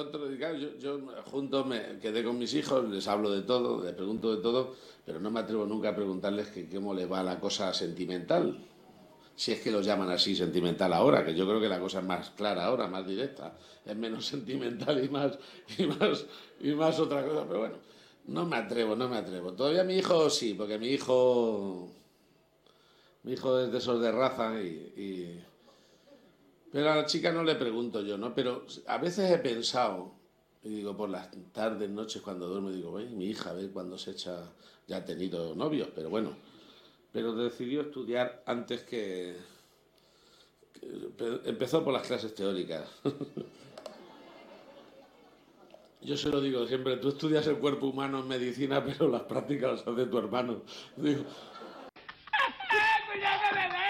otro, y claro, yo junto me quedé con mis hijos, les hablo de todo, les pregunto de todo, pero no me atrevo nunca a preguntarles que cómo les va la cosa sentimental. Si es que lo llaman así sentimental ahora, que yo creo que la cosa es más clara ahora, más directa, es menos sentimental y más otra cosa, pero bueno, no me atrevo. Todavía mi hijo sí, porque mi hijo es de esos de raza pero a la chica no le pregunto yo, ¿no? Pero a veces he pensado, y digo, por las tardes, noches, cuando duermo, digo, mi hija, a ver cuándo se echa, ya ha tenido novios, pero bueno, pero decidió estudiar antes empezó por las clases teóricas. Yo se lo digo siempre, tú estudias el cuerpo humano en medicina, pero las prácticas las hace tu hermano. Digo, ¡Cuidado que me veo!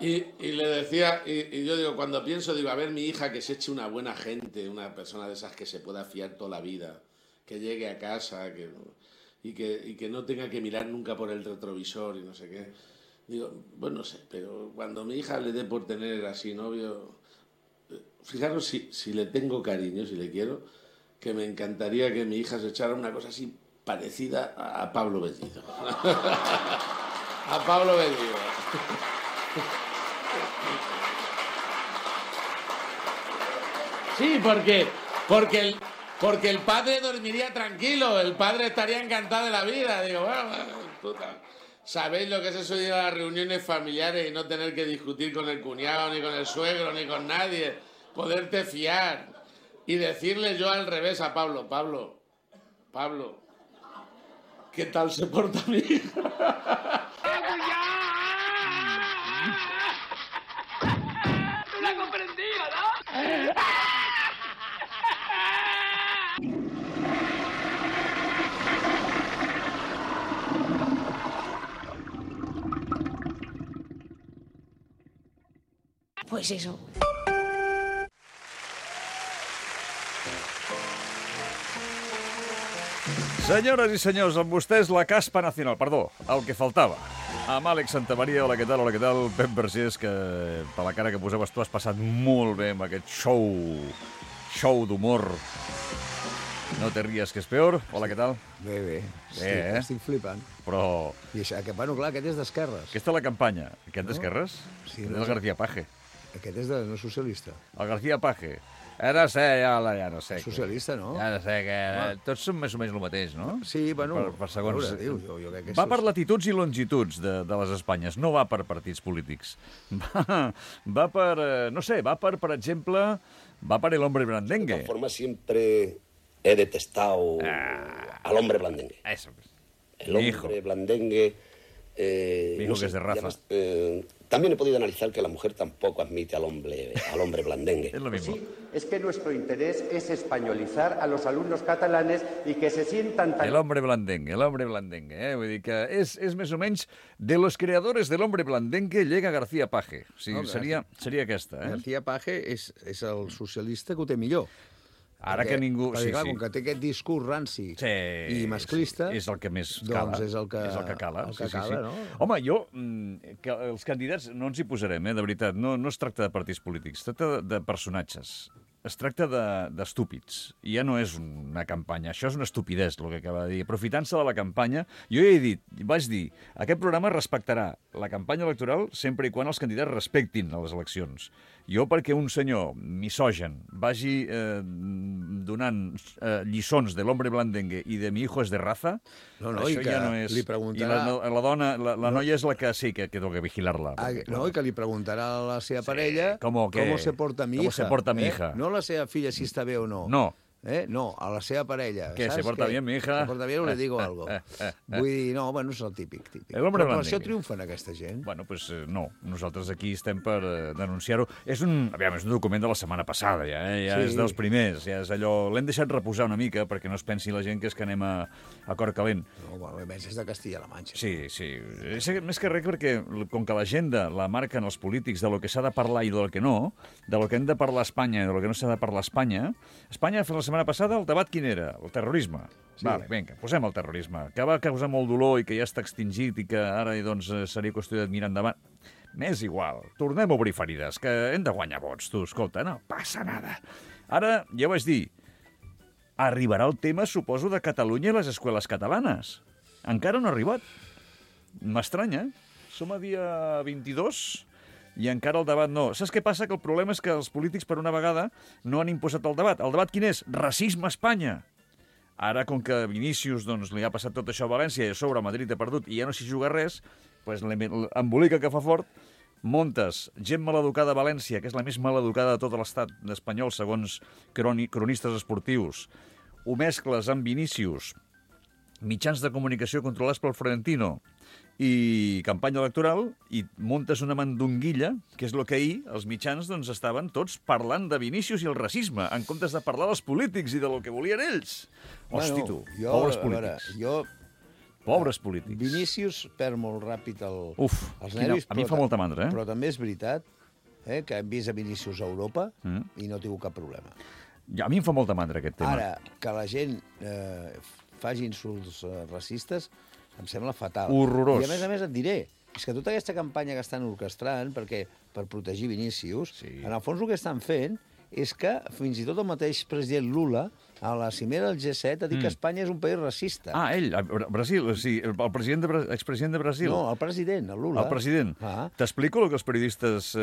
y le decía, y yo digo, cuando pienso, digo, a ver, mi hija que se eche una buena gente, una persona de esas que se pueda fiar toda la vida, que llegue a casa, y que no tenga que mirar nunca por el retrovisor y no sé qué. Digo, pues no sé, pero cuando mi hija le dé por tener así novio, fijaros si le tengo cariño, si le quiero, que me encantaría que mi hija se echara una cosa así parecida a Pablo Bellido. A Pablo Bellido. Sí, porque el padre dormiría tranquilo, el padre estaría encantado de la vida. Digo, bueno, puta. ¿Sabéis lo que es eso de ir a las reuniones familiares y no tener que discutir con el cuñado, ni con el suegro, ni con nadie? Poderte fiar y decirle yo al revés a Pablo, ¿qué tal se porta mi hija? ¡Tú la has comprendido, ¿no? Pues eso. Senyores i senyors, amb vostès la caspa nacional, perdó, el que faltava. Amb Àlex Santamaria, hola, què tal? Pep Vergés, que per la cara que posaves tu has passat molt bé amb aquest show d'humor. No te rías, que és peor. Hola, què tal? Bé. Estic flipant. Però... I això, bueno, clar, aquest és d'esquerres. Aquesta és la campanya. Aquest d'esquerres? Sí, és el García Paje. Aquest és no socialista. El García Paje. No sé, ja no sé. Socialista, no? Ja no sé, que tots són més o menys el mateix, no? Sí, bueno, per segons... jo crec que va per latituds i longituds de les Espanyes, no va per partits polítics. Va per, no sé, va per exemple, va per el hombre blandengue. De todas formas, siempre he detestado al hombre blandengue. Eso. El hombre blandengue... Mi hijo, no sé, que es de raza. Además, también he podido analizar que la mujer tampoco admite al hombre blandengue. Es lo mismo. Sí, es que nuestro interés es españolizar a los alumnos catalanes y que se sientan tan... El hombre blandengue. Vull dir que és més o menys de los creadores del hombre blandengue llega García Paje. O sigui, seria aquesta, García Paje és el socialista que ho té millor. Ara que ningú... Perquè, clar, com que té aquest discurs ranci i masclista... És el que més cala. Doncs és el que cala. No? Home, que els candidats no ens hi posarem, de veritat. No es tracta de partits polítics, es tracta de personatges. Es tracta d'estúpids. I ja no és una campanya. Això és una estupidesa, el que acaba de dir. Aprofitant-se de la campanya, jo ja vaig dir, aquest programa respectarà la campanya electoral sempre i quan els candidats respectin les eleccions. Jo, perquè un senyor misogen vagi donant lliçons de l'hombre blandengue i de mi hijo es de raza, això ja no és... Li preguntarà... I la dona, la noia és la que sí que toca vigilar-la. No, i que li preguntarà a la seva parella com se porta mi hija. Com se porta mi hija. No la seva filla si està bé o no. No. No, a la seva parella. Que se porta bien mi hija. Se porta bien o le digo algo. Vull dir, no, bueno, és el típic. Però per això triomfen aquesta gent. Bueno, pues no. Nosaltres aquí estem per denunciar-ho. És un document de la setmana passada, ja és dels primers. Ja és allò... L'hem deixat reposar una mica perquè no es pensi la gent que és que anem a cor calent. No, bueno, més és de Castilla-La Manxa. Sí. Més que res perquè, com que l'agenda la marquen els polítics de lo que s'ha de parlar i del que no, de lo que hem de parlar a Espanya i de lo que no s'ha de parlar a Espanya, Espanya la setmana passada el debat quin era? El terrorisme. Sí. Vale, vinga, posem el terrorisme, que va causar molt dolor i que ja està extingit i que ara doncs, seria qüestió d'admirar endavant. M'és igual, tornem a obrir ferides, que hem de guanyar vots, tu, escolta, no passa nada. Ara, ja ho vaig dir, arribarà el tema, suposo, de Catalunya i les escoles catalanes. Encara no ha arribat. M'estranya, som a dia 22 i encara el debat no. Saps què passa? Que el problema és que els polítics, per una vegada, no han imposat el debat. El debat quin és? Racisme a Espanya. Ara, com que Vinícius li ha passat tot això a València i a sobre Madrid ha perdut i ja no s'hi juga res, doncs l'embolica que fa fort, montes gent maleducada a València, que és la més maleducada de tot l'estat espanyol, segons cronistes esportius, ho mescles amb Vinícius, mitjans de comunicació controlats pel Florentino i campanya electoral, i montes una mandonguilla, que és el que ahir els mitjans estaven tots parlant de Vinícius i el racisme, en comptes de parlar dels polítics i del que volien ells. Hosti, tu, pobres polítics. Pobres polítics. Vinícius perd molt ràpid els nervis. A mi fa molta mandra, Però també és veritat que hem vist a Vinícius a Europa i no ha tingut cap problema. A mi em fa molta mandra aquest tema. Ara, que la gent faci insults racistes em sembla fatal. Horrorós. I a més et diré, és que tota aquesta campanya que estan orquestrant per protegir Vinícius, en el fons el que estan fent és que fins i tot el mateix president Lula, a la cimera del G7, ha dit que Espanya és un país racista. Ah, ell, Brasil, o sigui, el expresident de Brasil. No, el president, el Lula. El president. T'explico el que els periodistes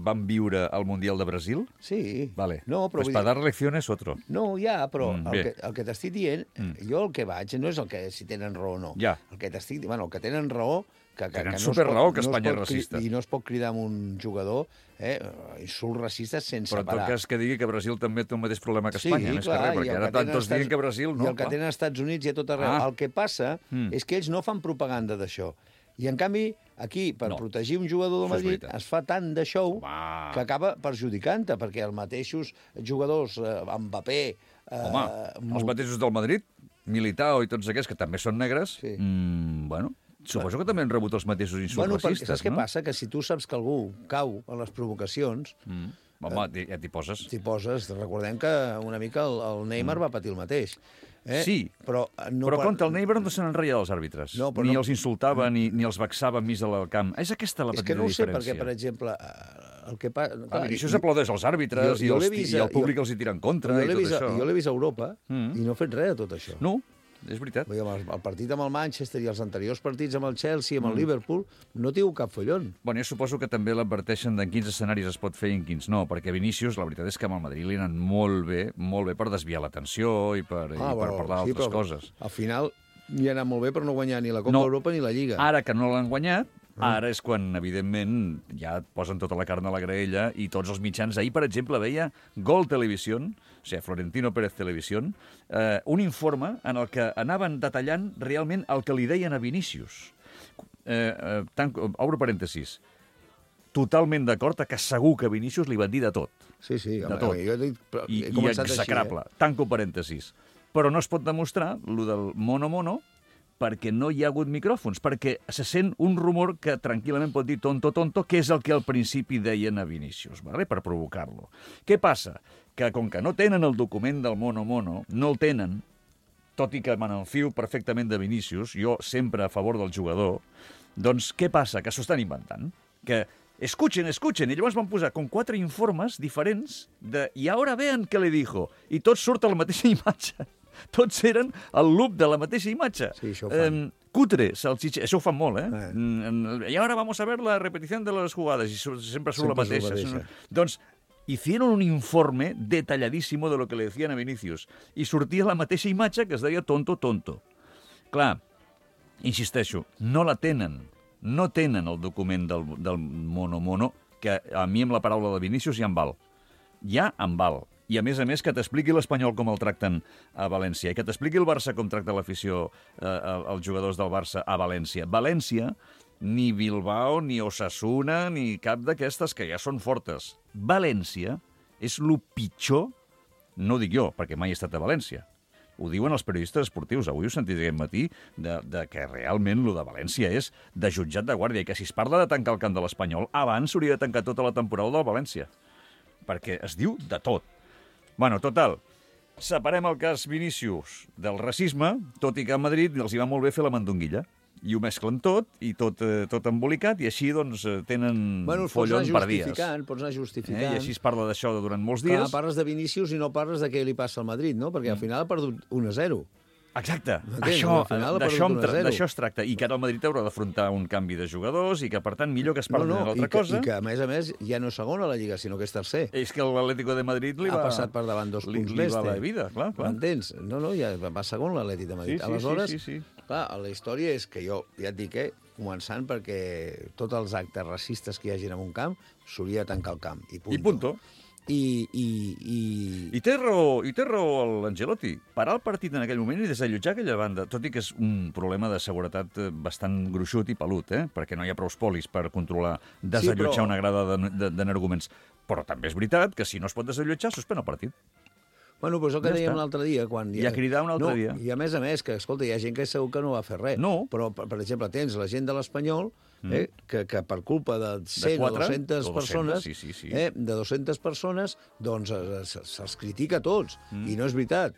van viure al Mundial de Brasil? Sí. Vale. No, però pues para dar lecciones otro. No, ja, però el que t'estic dient, jo el que vaig no és el que si tenen raó o no. Ja. El que t'estic dient, el que tenen raó... Tenen superraó que Espanya és racista. I no es pot cridar amb un jugador insults racistes sense parar. Però en tot cas que digui que Brasil també té el mateix problema que Espanya, més que res, perquè ara tant tots diguen que Brasil no. I el que tenen als Estats Units i a tot arreu. El que passa és que ells no fan propaganda d'això. I, en canvi, aquí, per protegir un jugador del Madrid, es fa tant de show que acaba perjudicant-te, perquè els mateixos jugadors, Mbappé... Els mateixos del Madrid, Militao i tots aquests, que també són negres, bueno... Suposo que també han rebut els mateixos insults racistes, saps què passa? Que si tu saps que algú cau a les provocacions... Home, ja t'hi poses. T'hi poses. Recordem que una mica el Neymar va patir el mateix. Sí, però contra el Neymar no se n'enreia dels àrbitres. Ni els insultava, ni els vexava més al camp. És aquesta la petita diferència. És que no ho sé, perquè, per exemple... Vinícius aplaudeix als àrbitres i el públic els hi tira en contra i tot això. Jo l'he vist a Europa i no he fet res de tot això. No, és veritat. El partit amb el Manchester i els anteriors partits amb el Chelsea, amb el Liverpool, no tinc cap follon. Bueno, jo suposo que també l'adverteixen en quins escenaris es pot fer i en quins no, perquè Vinícius, la veritat és que amb el Madrid li ha anat molt bé per desviar l'atenció i per parlar d'altres coses. Al final li ha anat molt bé per no guanyar ni la Copa d'Europa ni la Lliga. Ara que no l'han guanyat, ara és quan, evidentment, ja et posen tota la carn a la graella i tots els mitjans. Ahir, per exemple, veia Gol Televisión, o sigui, Florentino Pérez Televisión, un informe en el que anaven detallant realment el que li deien a Vinícius. Obro parèntesis. Totalment d'acord que segur que a Vinícius li van dir de tot. Sí, de tot. I execrable. Tanco parèntesis. Però no es pot demostrar el del mono perquè no hi ha hagut micròfons, perquè se sent un rumor que tranquil·lament pot dir tonto, que és el que al principi deien a Vinícius, ¿vale? Per provocar-lo. Què passa? Que com que no tenen el document del mono, no el tenen, tot i que me n'enfio perfectament de Vinícius, jo sempre a favor del jugador, doncs què passa? Que s'ho estan inventant. Que escuchen, i llavors van posar com 4 informes diferents de «I ara vean què le dijo», i tots surt a la mateixa imatge. Tots eren el loop de la mateixa imatge. Sí, això ho fan. Cutre, salchicha, això ho fan molt, I ara vamos a ver la repetición de les jugades, i sempre surt la mateixa. Doncs hicieron un informe detalladísimo de lo que le decían a Vinícius, i sortia la mateixa imatge que es deia tonto. Clar, insisteixo, no la tenen. No tenen el document del mono, que a mi amb la paraula de Vinícius ja em val. Ja em val. I, a més, que t'expliqui l'Espanyol com el tracten a València i que t'expliqui el Barça com tracta l'afició als jugadors del Barça a València. València, ni Bilbao, ni Osasuna, ni cap d'aquestes que ja són fortes. València és el pitjor, no dic jo, perquè mai he estat a València. Ho diuen els periodistes esportius. Avui ho sentit aquest matí de que realment el de València és de jutjat de guàrdia i que si es parla de tancar el camp de l'Espanyol, abans s'hauria de tancar tota la temporada del València. Perquè es diu de tot. Bueno, total, separem el cas Vinícius del racisme, tot i que a Madrid els hi va molt bé fer la mandonguilla. i ho mesclen tot, i tot embolicat, i així doncs tenen follon per dies. Pots anar justificant. I així es parla d'això durant molts dies. Clar, parles de Vinícius i no parles de què li passa al Madrid, no? Perquè al final ha perdut 1-0. Exacte, d'això es tracta, i que ara el Madrid haurà d'afrontar un canvi de jugadors i que, per tant, millor que es parli d'una altra cosa. I que, a més, ja no és segon a la Lliga, sinó que és tercer. És que l'Atlético de Madrid ha passat per davant 2 punts més. Li va la vida, clar. M'entens? No, ja va segon l'Atlètic de Madrid. Aleshores, sí. Clar, la història és que jo, ja et dic, començant perquè tots els actes racistes que hi hagin en un camp s'hauria de tancar el camp. I punto. I té raó l'Angelotti. Parar el partit en aquell moment i desallotjar aquella banda, tot i que és un problema de seguretat bastant gruixut i pelut, perquè no hi ha prou polis per controlar, desallotjar una grada d'energuments. Però també és veritat que si no es pot desallotjar, suspèn el partit. Bueno, doncs el que dèiem l'altre dia... I a cridar un altre dia. I a més, que, escolta, hi ha gent que segur que no va fer res. No. Però, per exemple, tens la gent de l'Espanyol, que per culpa de 100 o 200 persones, de 200 persones, doncs se'ls critica a tots. I no és veritat.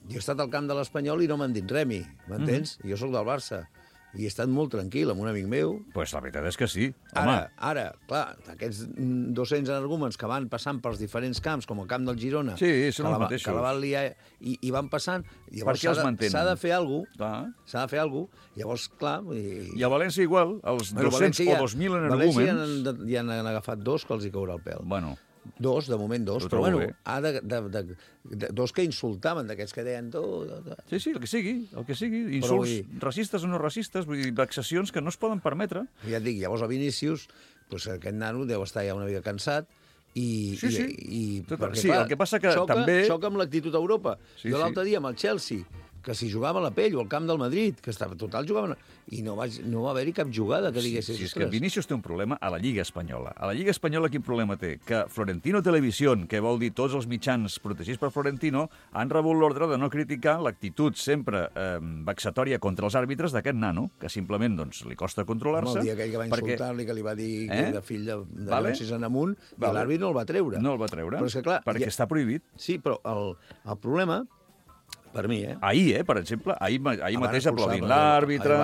Jo he estat al camp de l'Espanyol i no m'han dit remi, m'entens? Jo sóc del Barça. I he estat molt tranquil amb un amic meu. Pues la veritat és que sí. Ara, clar, aquests 200 energúmens que van passant pels diferents camps, com el camp del Girona, són els mateixos. Que la van liar i van passant, llavors s'ha de fer alguna cosa, llavors, clar... I a València igual, els 200 o 2.000 energúmens... València ja han agafat 2 que els hi caurà el pèl. Bueno... 2, de moment 2, però bueno, dos que insultaven, d'aquests que deien... Sí, el que sigui, insults racistes o no racistes, vull dir, vexacions que no es poden permetre. Ja et dic, llavors a Vinícius, aquest nano deu estar ja una mica cansat, el que passa que també... Xoca amb l'actitud a Europa. Jo l'altre dia amb el Chelsea, que si jugava a la pell o al camp del Madrid, que estava total jugaven... I no va haver-hi cap jugada que diguessis... Sí, és que Vinícius té un problema a la Lliga Espanyola. A la Lliga Espanyola quin problema té? Que Florentino Televisión, que vol dir tots els mitjans protegits per Florentino, han rebut l'ordre de no criticar l'actitud sempre vexatòria contra els àrbitres d'aquest nano, que simplement li costa controlar-se. El dia aquell que va insultar-li, que li va dir que era fill de Llonsis en amunt, i l'àrbit no el va treure. No el va treure, però és que, clar, perquè està prohibit. Sí, però el problema... Per mi, Ahir, per exemple, ahir mateix aplaudint l'àrbitre...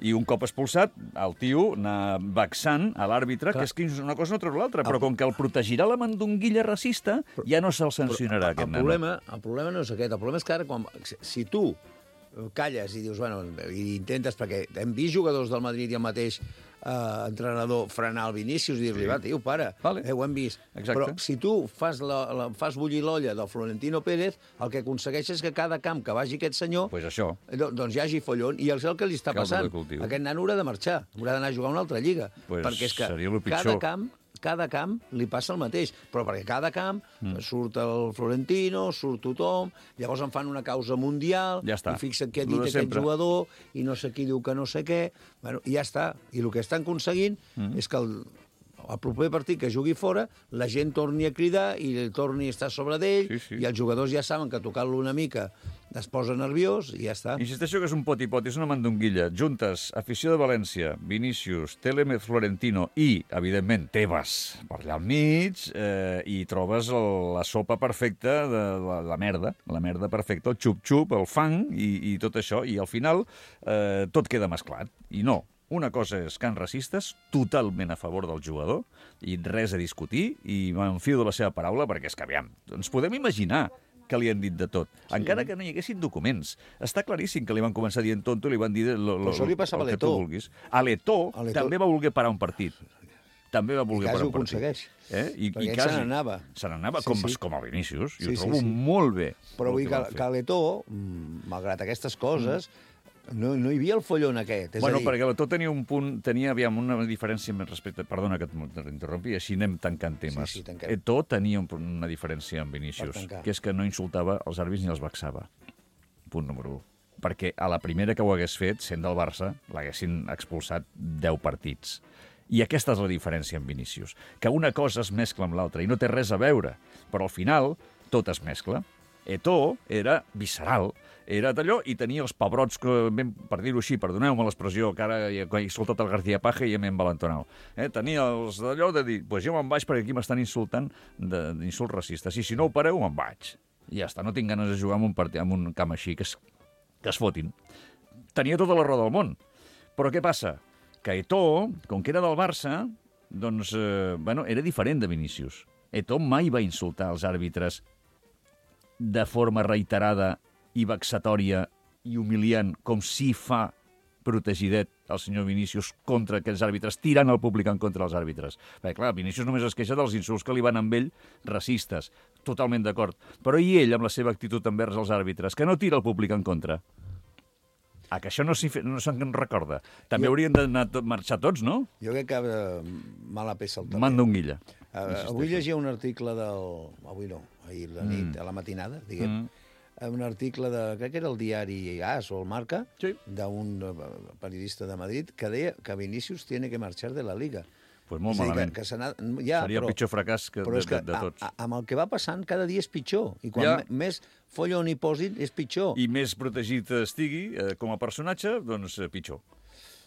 I un cop expulsat, el tio anar vexant a l'àrbitre, que és que una cosa no treu l'altra, però com que el protegirà la mandonguilla racista, ja no se'l sancionarà, aquest nano. El problema no és aquest, el problema és que ara, si tu calles i dius, bueno, i intentes, perquè hem vist jugadors del Madrid i el mateix entrenador frenar el Vinícius i dir-li, va, tio, para, ho hem vist. Però si tu fas bullir l'olla del Florentino Pérez, el que aconsegueix és que cada camp que vagi aquest senyor, doncs hi hagi follon, i és el que li està passant. Aquest nano haurà de marxar, haurà d'anar a jugar a una altra lliga, perquè és que cada camp li passa el mateix, però perquè cada camp surt el Florentino, surt tothom, llavors en fan una causa mundial, i fixa't què ha dit aquest jugador, i no sé qui diu que no sé què, i ja està. I el que estan aconseguint és que el proper partit que jugui fora, la gent torni a cridar i torni a estar sobre d'ell, i els jugadors ja saben que tocant-lo una mica es posa nerviós i ja està. Insisteixo que és un poti-poti, és una mandonguilla. Juntes, afició de València, Vinícius, Télemez Florentino i, evidentment, Tebas per allà al mig, i trobes la sopa perfecta de la merda perfecta, el xup-xup, el fang i tot això, i al final tot queda mesclat. I no. Una cosa és cants racistes, totalment a favor del jugador, i res a discutir, i m'enfio de la seva paraula, perquè és que, aviam, ens podem imaginar que li han dit de tot, encara que no hi haguessin documents. Està claríssim que li van començar dient tonto i li van dir el que tu vulguis. A l'Eto'o també va voler parar un partit. També va voler parar un partit. Perquè se n'anava. Se n'anava com a Vinícius, i ho trobo molt bé. Però vull dir que a l'Eto'o, malgrat aquestes coses, no hi havia el follon aquest. Bueno, perquè l'Eto'o tenia un punt, una diferència amb respecte... Perdona que t'interrompi, així anem tancant temes. Eto'o tenia una diferència amb Vinícius, que és que no insultava els àrbitres ni els vexava. Punt número 1. Perquè a la primera que ho hagués fet, sent del Barça, l'haguessin expulsat 10 partits. I aquesta és la diferència amb Vinícius. Que una cosa es mescla amb l'altra i no té res a veure, però al final tot es mescla. Eto'o era visceral, era d'allò, i tenia els pebrots, per dir-ho així, perdoneu-me l'expressió, que ara he soltat el García Paje i ja m'he envalentonat. Tenia els d'allò de dir, pues jo me'n vaig perquè aquí m'estan insultant d'insults racistes, i si no ho pareu, me'n vaig. I ja està, no tinc ganes de jugar en un camp així, que es fotin. Tenia tota la raó del món, Però què passa? Que Eto'o, com que era del Barça, doncs, era diferent de Vinícius. Eto'o mai va insultar els àrbitres de forma reiterada i vexatòria i humiliant, com si fa protegidet el senyor Vinícius contra aquells àrbitres, tirant el públic en contra dels àrbitres. Perquè, clar, Vinícius només es queixa dels insults que li van amb ell, racistes, totalment d'acord. Però i ell, amb la seva actitud envers els àrbitres, que no tira el públic en contra? Que això no se'n recorda. També haurien d'anar marxar tots, no? Jo crec que mala peça el també. Manda un guilla. Avui llegia un article Avui no, ahir la nit, a la matinada, diguem, un article crec que era el diari AS o el Marca, d'un periodista de Madrid, que deia que Vinícius tiene que marxar de la Liga. Pues molt malament. Seria el pitjor fracàs de tots. Amb el que va passant, cada dia és pitjor. I quan més follon hi posin, és pitjor. I més protegit estigui com a personatge, doncs pitjor.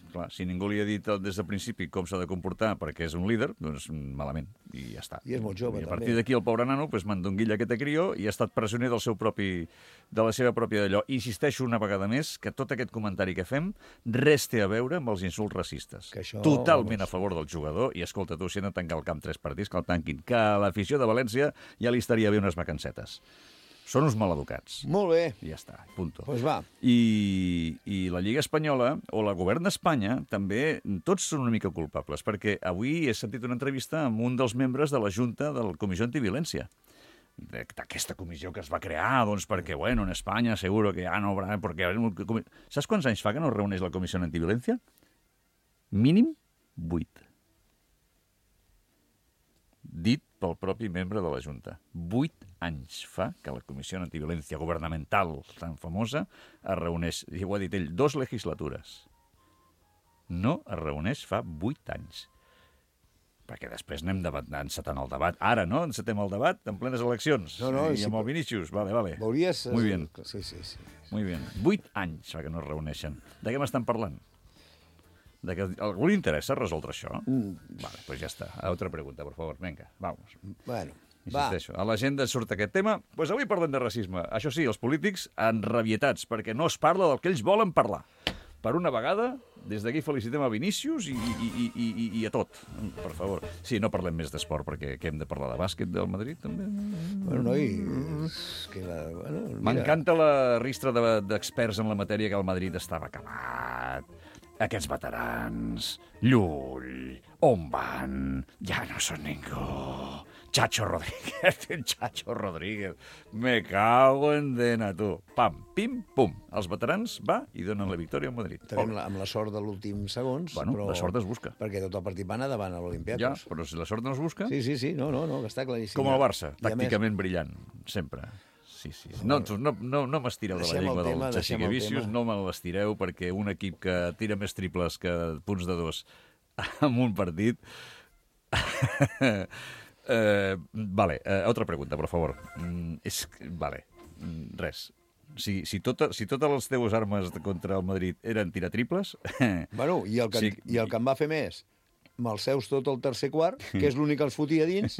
Clar, si ningú li ha dit des del principi com s'ha de comportar perquè és un líder, doncs malament, i ja està. I és molt jove, també. I a partir d'aquí el pobre nano mandonguilla aquest crió i ha estat presoner de la seva pròpia d'allò. Insisteixo una vegada més que tot aquest comentari que fem res té a veure amb els insults racistes. Totalment a favor del jugador, i escolta, tu, si han de tancar el camp 3 partits, que el tanquin, que a l'afició de València ja li estaria bé unes vacancetes. Són uns maleducats. Molt bé. I ja està, punto. Pues va. I la Lliga Espanyola, o la govern d'Espanya, també, tots són una mica culpables, perquè avui he sentit una entrevista amb un dels membres de la Junta de la Comissió Antiviolència, d'aquesta comissió que es va crear, doncs perquè, bueno, en Espanya seguro que ja no habrá... Saps quants anys fa que no es reuneix la Comissió Antiviolència? Mínim 8. Dit pel propi membre de la Junta. 8 anys fa que la Comissió Antiviolència Governamental tan famosa es reuneix, i ho ha dit ell, 2 legislatures. No es reuneix fa 8 anys. Perquè després anem encetant el debat. Ara, no? Encetem el debat en plenes eleccions. I amb el Vinícius. Vale. Veuries... Muy bien. Sí. Muy bien. 8 anys fa que no es reuneixen. De què m'estan parlant? De que a algú li interessa resoldre això? Vale, pues ja està. Altra pregunta, por favor. Venga, vamos. Bueno, insisteixo. A l'agenda surt aquest tema. Pues avui parlem de racisme. Això sí, els polítics enrabietats, perquè no es parla del que ells volen parlar. Per una vegada, des d'aquí felicitem a Vinícius i a tot, per favor. Sí, no parlem més d'esport, perquè què hem de parlar de bàsquet del Madrid, també? Bueno, noi... M'encanta la ristra d'experts en la matèria que el Madrid estava acabat. Aquests veterans, Llull, on van? Ja no són ningú. Chacho Rodríguez. Me cago en dena, tu. Pam, pim, pum. Els veterans va i donen la victòria al Madrid. També amb la sort de l'últim segons. Bueno, però... la sort es busca. Perquè tot el partit va anar davant a l'Olimpíakos. Ja, però si la sort no es busca... Sí, no, que està claríssim. Com el Barça, tàcticament brillant, sempre. Sí. No m'estireu de la llengua del Jessica Vicius, no me l'estireu, perquè un equip que tira més triples que punts de 2 en un partit... otra pregunta, por favor. Res. Si totes les teves armes contra el Madrid eren tirar triples... Bueno, i el que em va fer més, me'ls seus tot el tercer quart, que és l'únic que els fotia dins...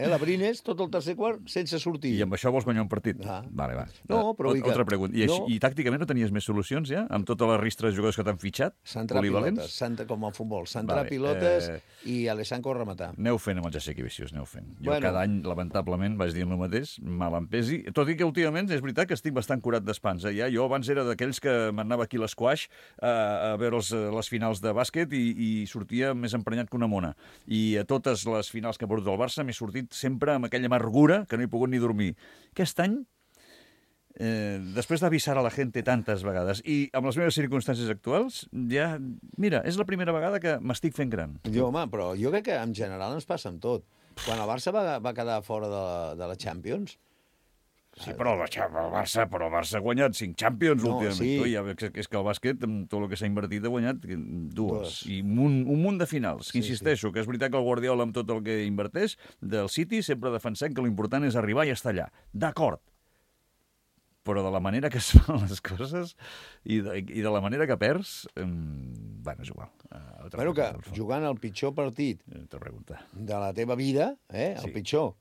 la Brines, tot el tercer quart, sense sortir. I amb això vols guanyar un partit? Vale, va. No, però... Altra pregunta. I tàcticament no tenies més solucions, ja? Amb totes les ristres de jugadors que t'han fitxat? Centrar pilotes, com al futbol. Centrar pilotes i Alessandro rematar. Aneu fent amb el Jessica Vicius, aneu fent. Jo cada any, lamentablement, vaig dir el mateix, mal em pesi. Tot i que últimament és veritat que estic bastant curat d'espans. Jo abans era d'aquells que m'anava aquí a l'esquaix a veure les finals de bàsquet i sortia més emprenyat que una mona. I a totes les finals que ha perdut el Barça m'he sortit sempre amb aquella amargura que no he pogut ni dormir. Aquest any, després d'avisar a la gent tantes vegades i amb les meves circumstàncies actuals, ja, mira, és la primera vegada que m'estic fent gran. Però jo crec que en general ens passa amb tot. Quan el Barça va quedar fora de la Champions... Sí, però el Barça ha guanyat 5 Champions últimament. Sí. És que el bàsquet, amb tot el que s'ha invertit, ha guanyat 2. I un munt de finals. Que insisteixo, que és veritat que el Guardiola, amb tot el que inverteix, del City sempre defensem que l'important és arribar i estar allà. D'acord. Però de la manera que es fan les coses i de la manera que perds, és igual. Que jugant el pitjor partit de la teva vida, el pitjor,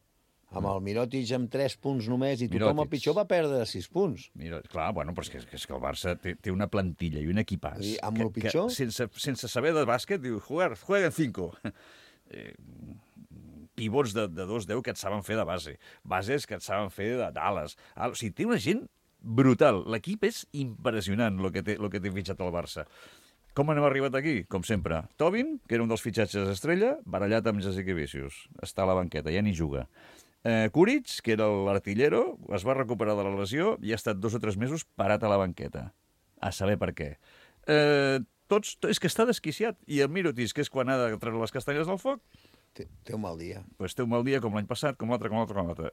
amb el Mirotic amb 3 punts només, i tothom el pitjor va perdre 6 punts. Clar, bueno, però és que el Barça té una plantilla i un equipàs. I amb el pitjor? Que sense saber de bàsquet, diu, jueguen 5. Pivots de 2-10 que et saben fer de base. Bases que et saben fer d'ales. O sigui, té una gent brutal. L'equip és impressionant, el que té fitxat el Barça. Com hem arribat aquí? Com sempre. Tobin, que era un dels fitxatges estrella, barallat amb Jasikevičius. Està a la banqueta, ja ni juga. Kuric, que era l'artillero, es va recuperar de la lesió i ha estat 2 o 3 mesos parat a la banqueta. A saber per què. És que està desquiciat. I el Mirotic, que és quan ha de treure les castanyes del foc, té un mal dia. Pues té un mal dia com l'any passat, com l'altre.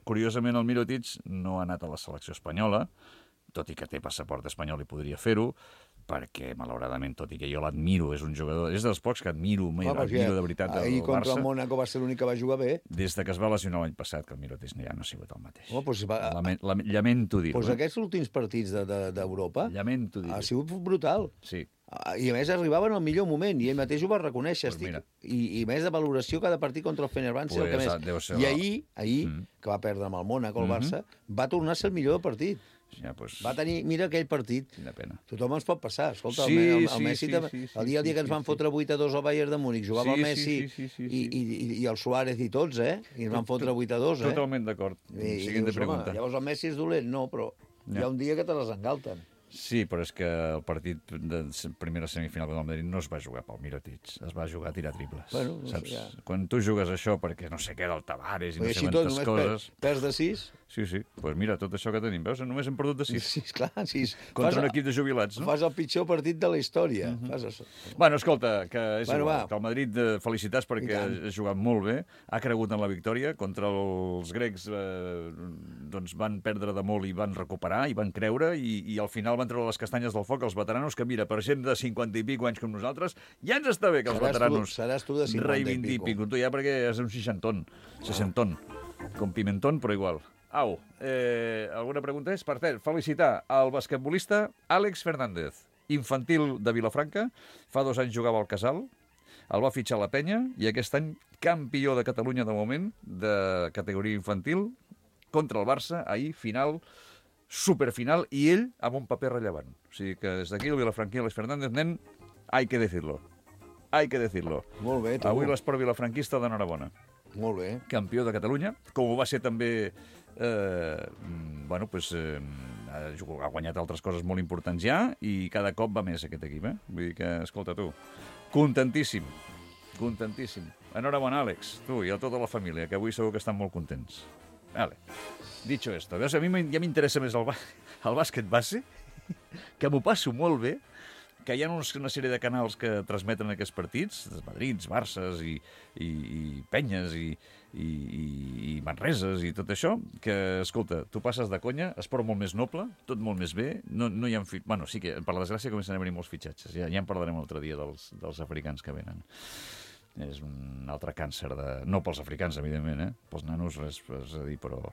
Curiosament, el Mirotic no ha anat a la selecció espanyola, tot i que té passaport espanyol i podria fer-ho, perquè, malauradament, tot i que jo l'admiro, és un jugador, és dels pocs que admiro de veritat del Barça. Ahir contra el Mónaco va ser l'únic que va jugar bé. Des que es va lesionar l'any passat, que el Mirotic ja no ha sigut el mateix. Lamento dir-ho. Doncs aquests últims partits d'Europa ha sigut brutal. Sí. I a més arribaven al millor moment, i ell mateix ho va reconèixer. I més de valoració cada partit contra el Fenerbahçe. I ahir, que va perdre amb el Mónaco, el Barça, va tornar a ser el millor del partit. Ja, pues... Va tenir, mira aquell partit. Quina pena. Tothom ens pot passar. Escolta, el Messi, el dia que ens van fotre 8-2 al Bayern de Múnich, jugava el Messi i el Suárez i tots, I ens van fotre 8-2, Totalment d'acord. Siguiente pregunta. Llavors el Messi és dolent? No, però hi ha un dia que te les engalten. Sí, però és que el partit de primera semifinal del Madrid no es va jugar pel Mirotic, es va jugar a tirar triples. Bueno, saps? Quan tu jugues això perquè no sé què del Tavares i no sé quantes coses... Perds de 6? Sí, doncs mira, tot això que tenim, veus? Només hem perdut de 6. Sí, clar, 6. Contra un equip de jubilats, no? Fas el pitjor partit de la història. Bueno, escolta, que és igual, que el Madrid, felicitats perquè ha jugat molt bé, ha cregut en la victòria, contra els grecs doncs van perdre de molt i van recuperar, i van creure, i al final van treure les castanyes del foc els veteranos, que mira, per gent de 50 i pico anys com nosaltres, ja ens està bé que els veteranos reivindiquin. Tu ja perquè és un 60 com Pimentón, però igual. Au, alguna pregunta és? Per cert, felicitar al basquetbolista Àlex Fernández, infantil de Vilafranca, fa 2 anys jugava al Casal, el va fitxar la Penya, i aquest any campió de Catalunya de moment, de categoria infantil, contra el Barça, ahir, final, superfinal, i ell amb un paper rellevant. O sigui que des d'aquí el vilafranquí Àlex Fernández, nen, hay que decirlo. Molt bé, tu. Avui l'esport vilafranquista d'enhorabona. Molt bé. Campió de Catalunya, com ho va ser també... ha guanyat altres coses molt importants ja, i cada cop va més aquest equip, Vull dir que, escolta, tu, contentíssim. Enhorabona, Àlex, tu i a tota la família, que avui segur que estan molt contents. Vale. Dicho esto, veus, a mi ja m'interessa més el bàsquet base, que m'ho passo molt bé, que hi ha una sèrie de canals que transmeten aquests partits, Madrids, Barces i Penyes i Manreses i tot això, que, escolta, tu passes de conya, esport molt més noble, tot molt més bé, no hi ha... Bueno, sí que, per la desgràcia, comencen a venir molts fitxatges, ja en parlarem l'altre dia dels africans que venen. És un altre càncer no pels africans, evidentment, pels nanos, res a dir, però...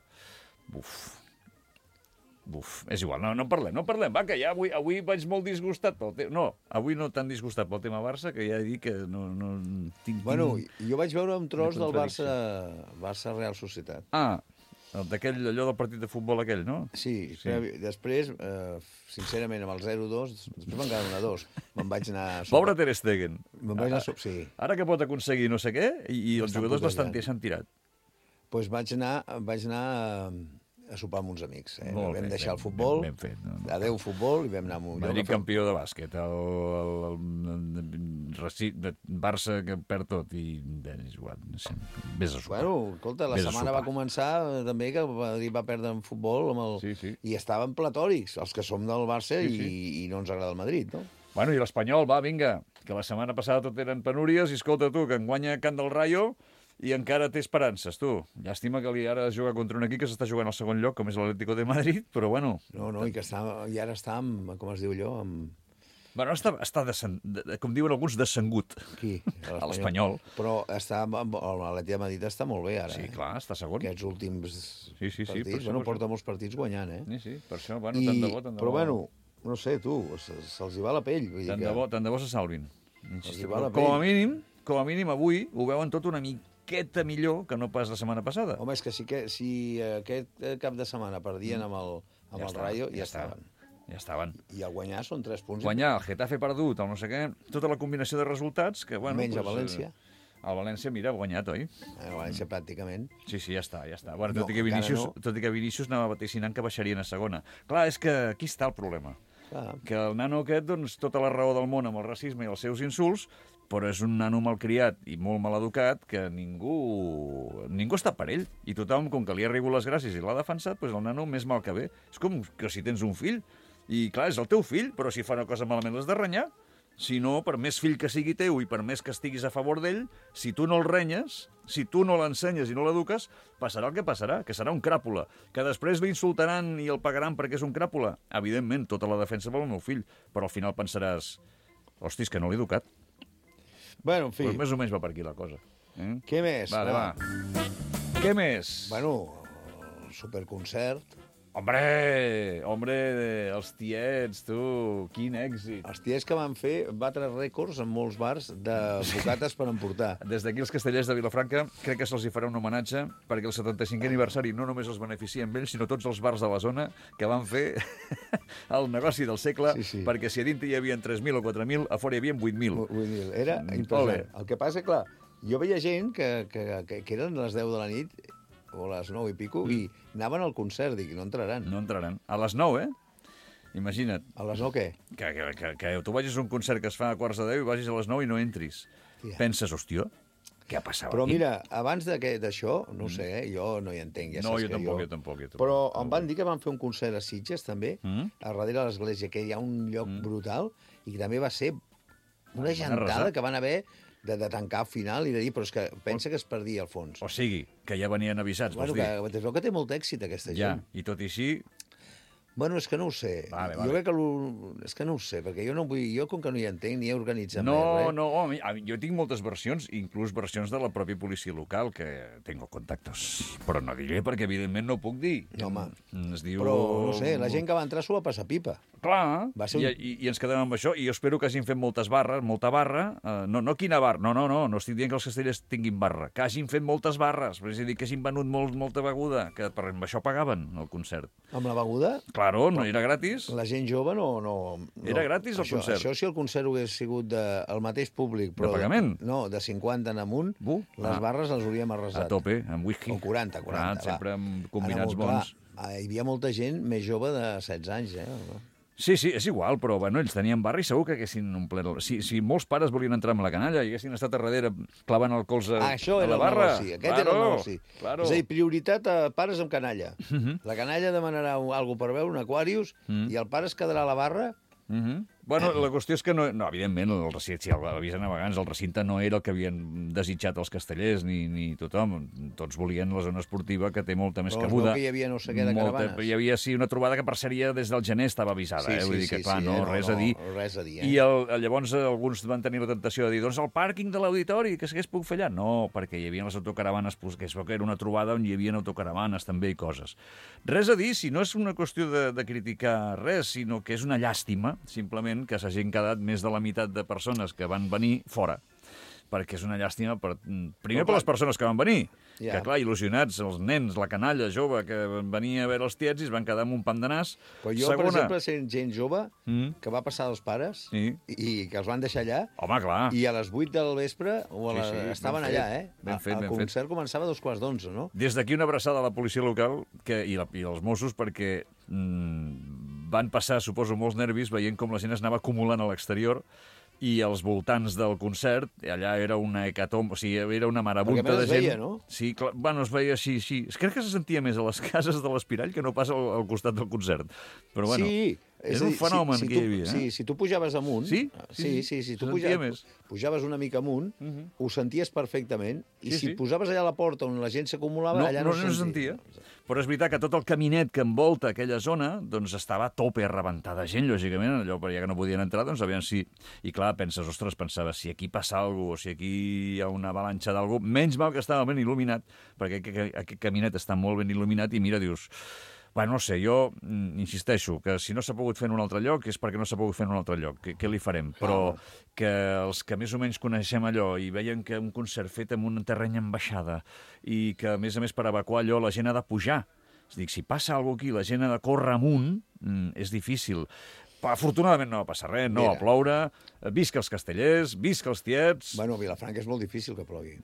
és igual, no en parlem, va, que ja avui vaig molt disgustat pel tema... No, avui no tan disgustat pel tema Barça, que ja he dit que no tinc... Bueno, jo vaig veure un tros del Barça Real Societat. Allò del partit de futbol aquell, no? Sí. Després, sincerament, amb el 0-2, després van quedar 1-2. Me'n vaig anar... Pobre Ter Stegen. Me'n vaig anar... Sí. Ara que pot aconseguir no sé què, i els jugadors bastant s'han tirat. Doncs vaig anar a sopar amb uns amics. Vam deixar el futbol, adeu futbol, i vam anar amb un... Madrid campió de bàsquet, el Barça que perd tot, i és igual, vés a sopar. Bueno, escolta, la setmana va començar també que Madrid va perdre en futbol, i estaven platòrics, els que som del Barça, i no ens agrada el Madrid, no? Bueno, i l'Espanyol, va, vinga, que la setmana passada tot eren penúries, i escolta tu, que enguanya Can del Rayo, i encara té esperances, tu. Llàstima que ara juga contra un equip que s'està jugant al segon lloc, com és l'Atlético de Madrid, però bueno... No, i ara està amb, com es diu allò, amb... Bueno, està com diuen alguns, descengut. Qui? A l'Espanyol. Però l'Atlètic de Madrid està molt bé, ara. Sí, clar, està segon. Aquests últims partits, bueno, porta molts partits guanyant, Sí, per això, bueno, tant de bo. Però bueno, no sé, tu, se'ls hi va la pell. Tant de bo se salvin. Com a mínim, avui ho veuen tot una mica miqueta millor que no pas la setmana passada. Home, és que si aquest cap de setmana perdien amb el Rayo, ja estaven. Ja estaven. I al guanyar són 3 punts. Guanyar, el Getafe perdut, el no sé què, tota la combinació de resultats que, bueno... Menys a València. El València, mira, ha guanyat, oi? El València pràcticament. Sí, ja està. Bueno, tot i que Vinícius anava vaticinant que baixarien a segona. Clar, és que aquí està el problema. Que el nano aquest, doncs, tota la raó del món amb el racisme i els seus insults, però és un nano malcriat i molt maleducat que ningú està per ell. I tothom, com que li ha rigut les gràcies i l'ha defensat, doncs el nano més mal que bé. És com que si tens un fill, i clar, és el teu fill, però si fa una cosa malament l'has de renyar. Si no, per més fill que sigui teu i per més que estiguis a favor d'ell, si tu no el renyes, si tu no l'ensenyes i no l'eduques, passarà el que passarà, que serà un cràpula, que després l'insultaran i el pagaran perquè és un cràpula. Evidentment, tota la defensa pel meu fill, però al final pensaràs, hòstia, és que no l'he educat. Bueno, en fi. Pues més o menys va per aquí la cosa. Què més? Va. Què més? Bueno, superconcert. Hombre, els tiets, tu, quin èxit. Els tiets que van fer batre rècords en molts bars de bocates per emportar. Des d'aquí els castellers de Vilafranca crec que se'ls hi farà un homenatge perquè el 75è aniversari no només els beneficia amb ells, sinó tots els bars de la zona que van fer el negoci del segle, perquè si a dintre hi havia 3.000 o 4.000, a fora hi havia 8.000. 8.000. Era impressionant. El que passa, clar, jo veia gent que eren les 10 de la nit o a les 9 i pico, i anaven al concert, dic, no entraran. No entraran. A les 9, Imagina't. A les 9 què? Que tu vagis a un concert que es fa a quarts de 10 i vagis a les 9 i no entris. Tia. Penses, hòstia, què ha passat Però aquí? mira, abans d'això, no sé, jo no hi entenc. Ja no, saps jo tampoc. Però em van dir que van fer un concert a Sitges, també, a darrere de l'església, que hi ha un lloc brutal, i que també va ser una gentada que van haver de tancar al final i de dir, però és que pensa que es perdia al fons. O sigui, que ja venien avisats, vols dir? Que es veu que té molt èxit, aquesta gent. Ja, i tot i així... Bueno, és que no ho sé. Vale. Jo crec que és que no ho sé, perquè jo no vull... Jo, com que no hi entenc, ni he organitzat res. No, jo tinc moltes versions, inclús versions de la pròpia policia local, que tengo contactos. Però no diré, perquè evidentment no puc dir. No, home. Es diu... Però, no sé, la gent que va entrar s'ho va passar pipa. Clar, i ens quedem amb això, i jo espero que hagin fet molta barra, no quina barra, no estic dient que els castellers tinguin barra, que hagin fet moltes barres, és a dir, que hagin venut molta beguda, que per això pagaven el concert. Amb la beguda? Claro, no era gratis. La gent jove no... Era gratis el concert. Això si el concert hagués sigut el mateix públic, però... De pagament? No, de 50 en amunt, les barres les hauríem arrasat. A tope, amb whisky. O 40, va. Sempre amb combinats bons. Hi havia molta gent més jove de 16 anys, Sí, és igual, però bueno, ells tenien barra i segur que haguessin omplert... Si molts pares volien entrar amb la canalla i haguessin estat a darrere clavant el colze a la barra... Això era el negoci, aquest era el negoci. Claro. És a dir, prioritat a pares amb canalla. La canalla demanarà alguna per veure, un Aquarius, i el pare es quedarà a la barra. Bueno, la qüestió és que, no, evidentment, el recinte, si l'avisen a vegades, el recinte no era el que havien desitjat els castellers ni tothom. Tots volien la zona esportiva, que té molta més cabuda. Però que hi havia no sé què de caravanes. Hi havia, sí, una trobada que per seria des del gener estava avisada. Vull dir que, clar, res a dir. I llavors alguns van tenir la tentació de dir, doncs el pàrquing de l'auditori, que s'hagués pogut fer allà. No, perquè hi havia les autocaravanes, que es veu que era una trobada on hi havia autocaravanes també i coses. Res a dir, si no és una qüestió de criticar res, sinó que és una llàstima, simplement, que s'hagin quedat més de la meitat de persones que van venir fora. Perquè és una llàstima, primer per les persones que van venir, que, clar, il·lusionats, els nens, la canalla jove que venia a veure els tiets i es van quedar amb un pam de nas. Però jo, per exemple, sent gent jove que va passar dels pares i que els van deixar allà. Home, clar. I a les 8 del vespre estaven allà, Ben fet. El concert començava a 2:15, no? Des d'aquí una abraçada a la policia local i als Mossos, perquè van passar, suposo, molts nervis veient com la gent es anava acumulant a l'exterior i als voltants del concert, allà era una hecatomb, o sigui, era una marabunta de gent. Perquè es veia, no? Sí, clar, bueno, es veia així. Crec que se sentia més a les cases de l'Espirall que no pas al costat del concert. Però bueno, és un fenomen que hi havia. Sí, si tu pujaves amunt... Sí, si tu pujaves una mica amunt, ho senties perfectament, i si posaves allà a la porta on la gent s'acumulava, allà no se sentia. Però és veritat que tot el caminet que envolta aquella zona doncs estava a tope, a rebentar de gent, lògicament, allò per ja que no podien entrar, doncs aviam si... I clar, pensava, si aquí passa alguna cosa, o si aquí hi ha una avalanxa d'alguna cosa, menys mal que estava ben il·luminat, perquè aquest caminet està molt ben il·luminat, i mira, dius... Bueno, no sé, jo insisteixo que si no s'ha pogut fer en un altre lloc és perquè no s'ha pogut fer en un altre lloc. Què li farem? Però que els que més o menys coneixem allò i veien que un concert fet en un terreny en baixada i que, a més, per evacuar allò la gent ha de pujar. És a dir, si passa alguna cosa aquí, la gent ha de córrer amunt, és difícil. Afortunadament no va passar res, no va ploure, visca els castellers, visca els tiets... Bueno, a Vilafranca és molt difícil que plogui.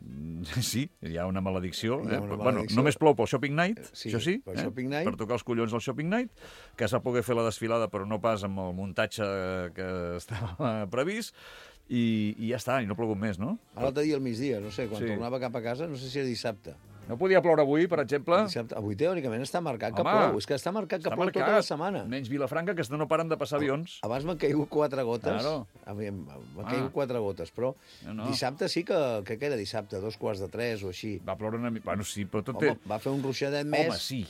Sí, hi ha una maledicció. Bueno, només plou pel Shopping Night, això sí, per tocar els collons al Shopping Night, que es va poder fer la desfilada, però no pas amb el muntatge que estava previst, i ja està, i no ha plogut més, no? L'altre dia al migdia, no sé, quan tornava cap a casa, no sé si era dissabte. No podia ploure avui, per exemple? Avui teòricament està marcat que plou. És que està marcat que plou tota la setmana. Menys Vilafranca, que no paren de passar avions. Abans m'han caigut 4 gotes. M'han caigut 4 gotes, però dissabte sí que era dissabte, 2:45 o així. Va ploure una mica... Bueno, sí, però tot va fer un ruixadet més. Home, sí.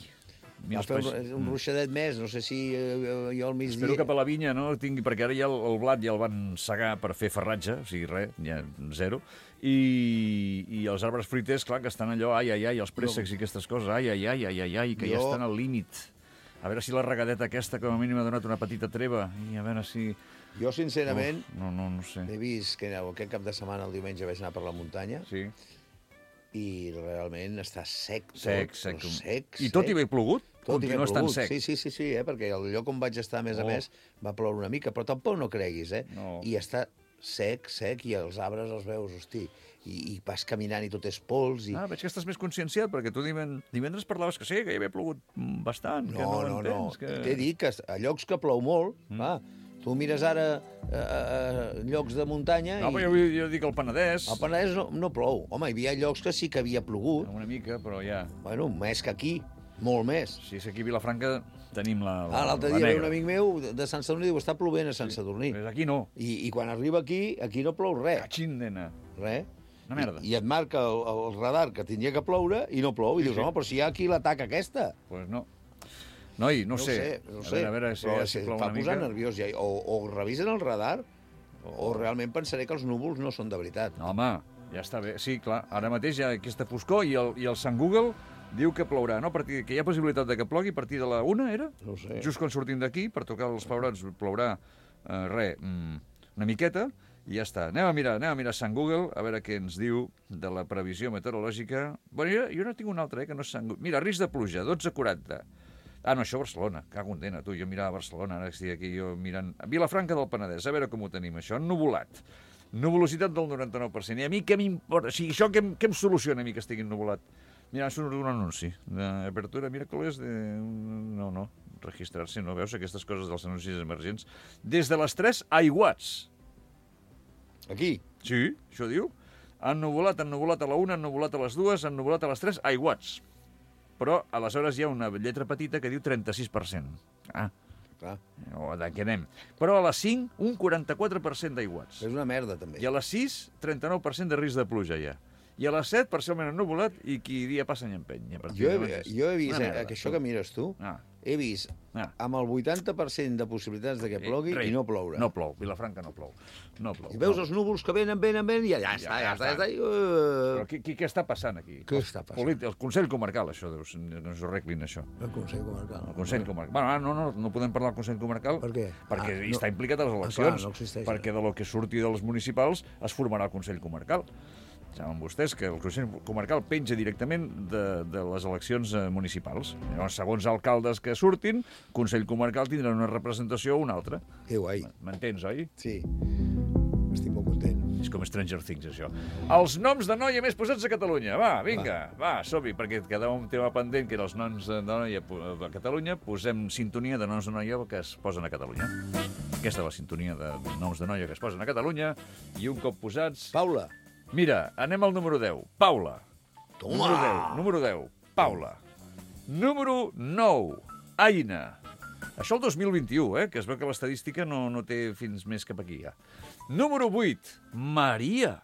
Va fer un ruixadet més, no sé si jo al migdia... Espero que per la vinya no tingui, perquè ara ja el blat ja el van segar per fer farratge, o sigui, res, ja zero, i els arbres fruiters, clar, que estan allò, els préssecs i aquestes coses, que ja estan al límit. A veure si la regadeta aquesta, com a mínim, ha donat una petita treva, i a veure si... Jo, sincerament, no sé. He vist que aquest cap de setmana, el diumenge, vaig anar per la muntanya, i realment està sec. Sec. I tot i haver plogut? Continua estant sec. Sí, perquè el lloc on vaig estar, a més a més, va ploure una mica, però tampoc no creguis, I està sec, i els arbres els veus, hosti, i vas caminant i tot és pols. Veig que estàs més conscienciat, perquè tu divendres parlaves que sí, que hi havia plogut bastant, que no entens. T'he dit que a llocs que plou molt, tu mires ara llocs de muntanya... No, però jo dic el Penedès. El Penedès no plou. Home, hi havia llocs que sí que havia plogut. Una mica, però ja... Bueno, més que aquí, molt més. Sí, aquí a Vilafranca tenim la negra. L'altre dia ve un amic meu de Sant Sadurní i diu, està plovent a Sant Sadurní. Aquí no. I quan arriba aquí no plou res. Cachindena. Res. Una merda. I et marca el radar que tindria que ploure i no plou. I dius, home, però si hi ha aquí l'ataca aquesta. Pues no. Noi, no sé. A veure si plou una mica. Fa posar nerviós ja. O revisen el radar o realment pensaré que els núvols no són de veritat. No, home, ja està bé. Sí, clar, ara mateix hi ha aquesta foscor i el Sant Google diu que plourà, no? Que hi ha possibilitat de que plogui a partir de la 1, era? No sé. Just quan sortim d'aquí, per tocar els pebrots, plourà una miqueta i ja està. Anem a mirar Sant Google, a veure què ens diu de la previsió meteorològica. Bueno, jo no tinc un altre, que no és Sant Google. Mira, risc de pluja, 12:40. No, això a Barcelona, cago en dena, tu, jo mirava Barcelona, ara estic aquí jo mirant... Vilafranca del Penedès, a veure com ho tenim, això, ennuvolat. Nuvolositat del 99%. I a mi què m'importa? O sigui, això què em soluciona a mi que estigui ennuvolat? Mira, surt un anunci d'apertura miércoles de... No, registrar-se, no veus aquestes coses dels anuncis emergents? Des de les 3, aiguats. Aquí? Sí, això diu. Ennuvolat a la 1, ennuvolat a les 2, ennuvolat a les 3, aiguats. Però aleshores hi ha una lletra petita que diu 36%. Clar. De què anem? Però a les 5, un 44% d'aiguats. És una merda, també. I a les 6, 39% de risc de pluja, ja. I a les 7, parcialment ennuvolat, i qui dia passa ni empeny. Jo he vist, que això que mires tu, he vist amb el 80% de possibilitats de que plogui i no ploure. No plou, Vilafranca no plou. I veus els núvols que venen i ja està. Però què està passant aquí? Què està passant? El Consell Comarcal, això, que ens ho arreglin, això. El Consell Comarcal. El Consell Comarcal. Bueno, no podem parlar del Consell Comarcal. Per què? Perquè està implicat a les eleccions. No existeix. Perquè de lo que surti de les municipals es formarà el Consell Comarcal. Saben vostès que el Consell Comarcal penja directament de les eleccions municipals. Llavors, segons alcaldes que surtin, el Consell Comarcal tindrà una representació o una altra. Que guai. M'entens, oi? Sí. Estic molt content. És com Stranger Things, això. Els noms de noia més posats a Catalunya. Va, vinga, va, som-hi, perquè quedava un tema pendent, que era els noms de noia a Catalunya. Posem sintonia de noms de noia que es posen a Catalunya. Aquesta és la sintonia de noms de noia que es posen a Catalunya. I un cop posats... Paula. Mira, anem al número 10. Paula. Toma! Número 10. Paula. Número 9. Aina. Això el 2021, que es veu que l'estadística no té fins més cap aquí, ja. Número 8. Maria.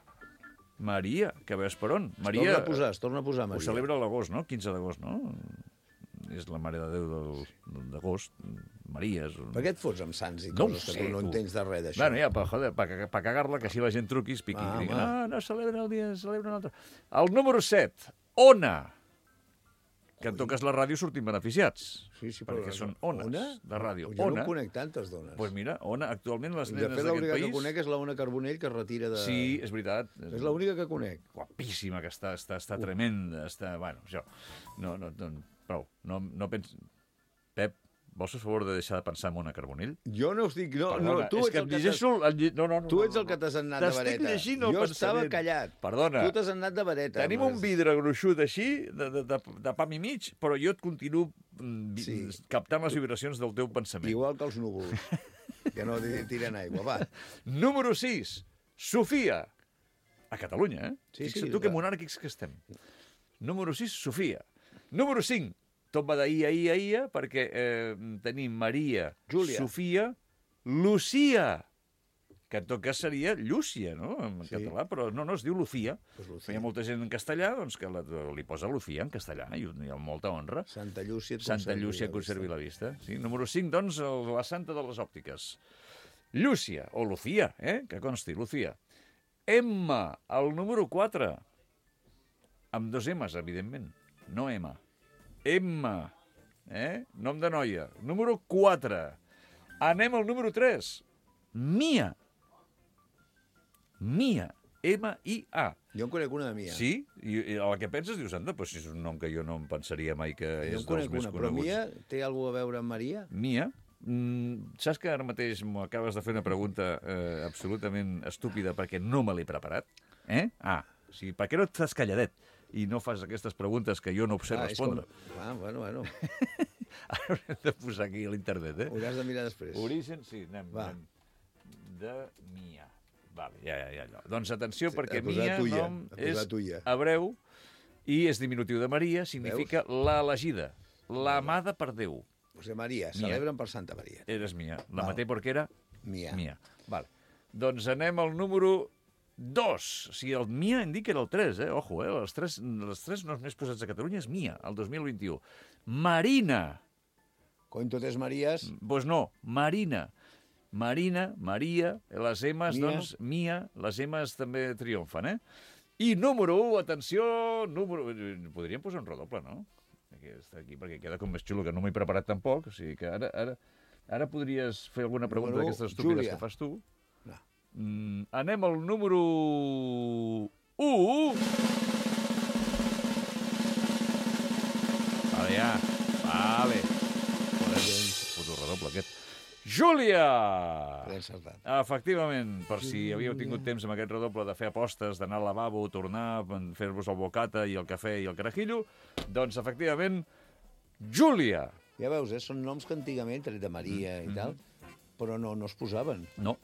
Maria, que veus per on? Maria... Es torna a posar, Maria. Ho celebra a l'agost, no? 15 d'agost, no? És la Mare de Déu d'agost. Maria és... Per què et fots amb sants i coses que tu no entens de res d'això? Bueno, ja, per cagar-la, que així la gent truqui, es piqui i digui, no celebra el dia, celebra un altre. El número 7, Ona. que en tot cas la ràdio sortim beneficiats. Sí, però perquè són ones de ràdio. Jo no conec tantes dones. Doncs mira, Ona, actualment les nenes d'aquest país... De fet, l'única que conec és l'Ona Carbonell, que es retira de... Sí, és veritat. És l'única que conec. Guapíssima, que està tremenda. Bueno, això... Prou. No penso... Pep, vols fer favor de deixar de pensar en Ona Carbonell? Jo no us dic... Tu ets el que t'has anat de vareta. T'estic llegint el Jo pensament. estava callat. Perdona. Tu t'has anat de vareta. Tenim un vidre gruixut així, de pam i mig, però jo et continuo captant les vibracions del teu pensament. Igual que els núvols, que no tiren aigua. Va. Número 6. Sofia. A Catalunya, Sí, tu que monàrquics que estem. Número 6, Sofia. Número 5. Tot va d'ahir, perquè tenim Maria, Júlia, Sofia, Lucía, que en tot cas seria Llúcia, no?, en català, però no, es diu Lucía. Hi ha molta gent en castellà doncs, que li posa Lucía en castellà, i hi ha molta honra. Santa Llúcia conservi la vista. Sí? Número 5, doncs, la santa de les òptiques. Llúcia, o Lucía, que consti, Lucía. Emma, el número 4, amb 2 M's, evidentment, no Emma. Emma, nom de noia. Número 4. Anem al número 3. Mia. Mia. M-I-A. Jo en conec una de Mia. Sí? I a la que penses dius, anda, doncs és un nom que jo no em pensaria mai que és dels més coneguts. Però Mia té alguna a veure amb Maria? Mia? Saps que ara mateix m'acabes de fer una pregunta absolutament estúpida perquè no me l'he preparat? O sigui, per què no estàs calladet i no fas aquestes preguntes que jo no sé respondre? Bueno. Ara haurem de posar aquí a l'internet, Ho hauràs de mirar després. Origen, sí, anem. De Mia. Vale, ja. Doncs atenció, perquè Mia nom és hebreu i és diminutiu de Maria, significa la elegida, l'amada per Déu. O sigui, Maria, celebren per Santa Maria. Eres Mia. La maté perquè era Mia. Vale. Doncs anem al número 2. O sigui, el Mia em dic que era el 3, Ojo, els tres noms més posats a Catalunya és Mia, el 2021. Marina. Coin totes Maries. Doncs no, Marina. Marina, Maria, les M's, doncs, Mia, les M's també triomfen, I número 1, atenció, podríem posar un redoble, no? Està aquí, perquè queda com més xulo, que no m'he preparat tampoc, o sigui que ara podries fer alguna pregunta d'aquestes estúpides que fas tu. No. Anem al número 1. Vale. Puto redoble aquest. Júlia! Efectivament, per si havíeu tingut temps amb aquest redoble de fer apostes, d'anar al lavabo, tornar, fer-vos el bocata i el cafè i el carajillo, doncs, efectivament, Júlia. Ja veus, són noms que antigament, tret de Maria i tal, però no es posaven. No,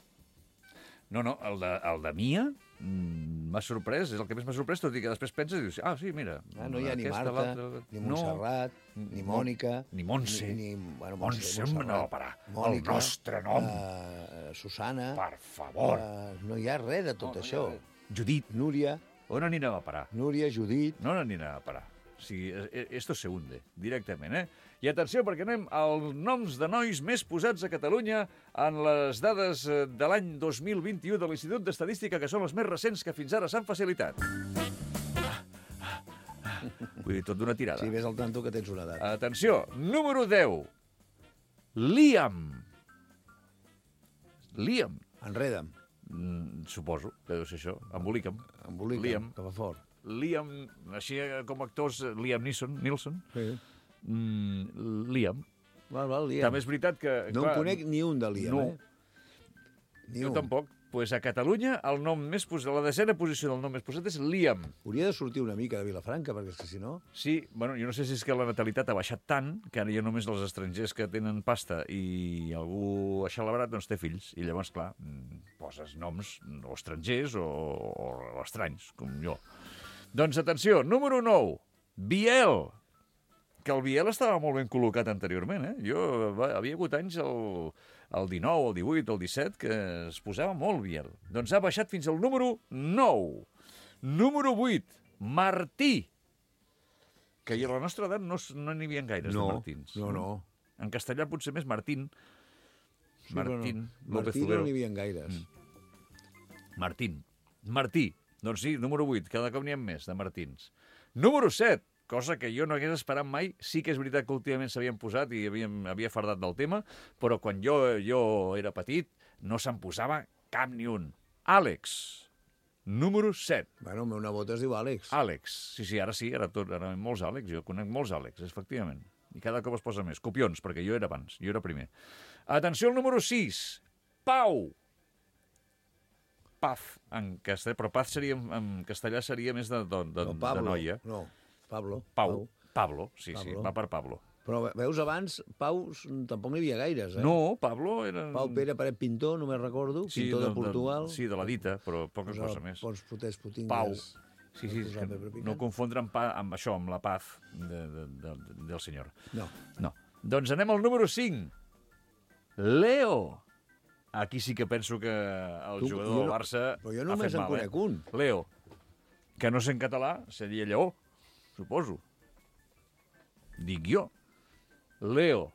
el de Mia m'ha sorprès, és el que més m'ha sorprès, tot i que després penses i dius, sí, mira... No hi ha ni Marta, ni Montserrat, ni Mònica... Ni Montse. Montse, no, parar. El nostre nom. Susana. Per favor. No hi ha res de tot això. Judit. Núria. On anirem a parar? Núria, Judit. No anirem a parar. O sigui, esto se hunde, directament, I atenció, perquè anem als noms de nois més posats a Catalunya en les dades de l'any 2021 de l'Institut d'Estadística, que són les més recents que fins ara s'han facilitat. Vull dir, tot d'una tirada. Sí, ves al tanto que tens una edat. Atenció, número 10. Liam. Enreda'm. Suposo que deu ser això. Embolica'm. Liam, que va fort. Liam, així com actors, Liam Neeson. Sí. Liam. Liam. També és veritat que... No en conec ni un de Liam, Jo tampoc. Pues a Catalunya el nom més posat, la desena posició del nom més posat és Liam. Hauria de sortir una mica de Vilafranca, perquè és que si no... Sí, bueno, jo no sé si és que la natalitat ha baixat tant que ara ja només els estrangers que tenen pasta i algú aixelebrat doncs té fills. I llavors, clar, poses noms o estrangers o estranys, com jo. Doncs atenció, número 9, Biel. Que el Biel estava molt ben col·locat anteriorment, Jo havia hagut anys el 19, el 18, el 17, que es posava molt Biel. Doncs ha baixat fins al número 9. Número 8, Martí. Que a la nostra edat no n'hi havia gaires de Martins. No. En castellà potser més Martín. Sí, Martín no n'hi havia gaires. Martí. Doncs sí, número 8, cada cop n'hi ha més de Martins. Número 7, cosa que jo no hagués esperat mai. Sí que és veritat que últimament s'havien posat i havia fardat del tema, però quan jo era petit no se'n posava cap ni un. Àlex, número 7. Bueno, el meu nebot es diu Àlex. Àlex, sí, ara molts Àlex, jo conec molts Àlex, efectivament. I cada cop es posa més. Copions, perquè jo era abans, jo era primer. Atenció al número 6, Pau. Paz, en castellà, però Paz seria, en castellà seria més de noia. No, Pablo. Pablo, sí, va per Pablo. Però veus, abans, Pau tampoc n'hi havia gaires, No, Pablo era... Pau Pere Paret Pintor, només recordo, pintor de Portugal. Sí, de la dita, però poca cosa més. Pots fotés putingues. Pau. Sí, no confondre amb això, amb la paz del senyor. No. Doncs anem al número 5. Leo. Aquí sí que penso que el jugador del Barça ha fet mal. Però jo només en conec un. Leo, que no sé en català, seria lleó, suposo. Dic jo. Leo,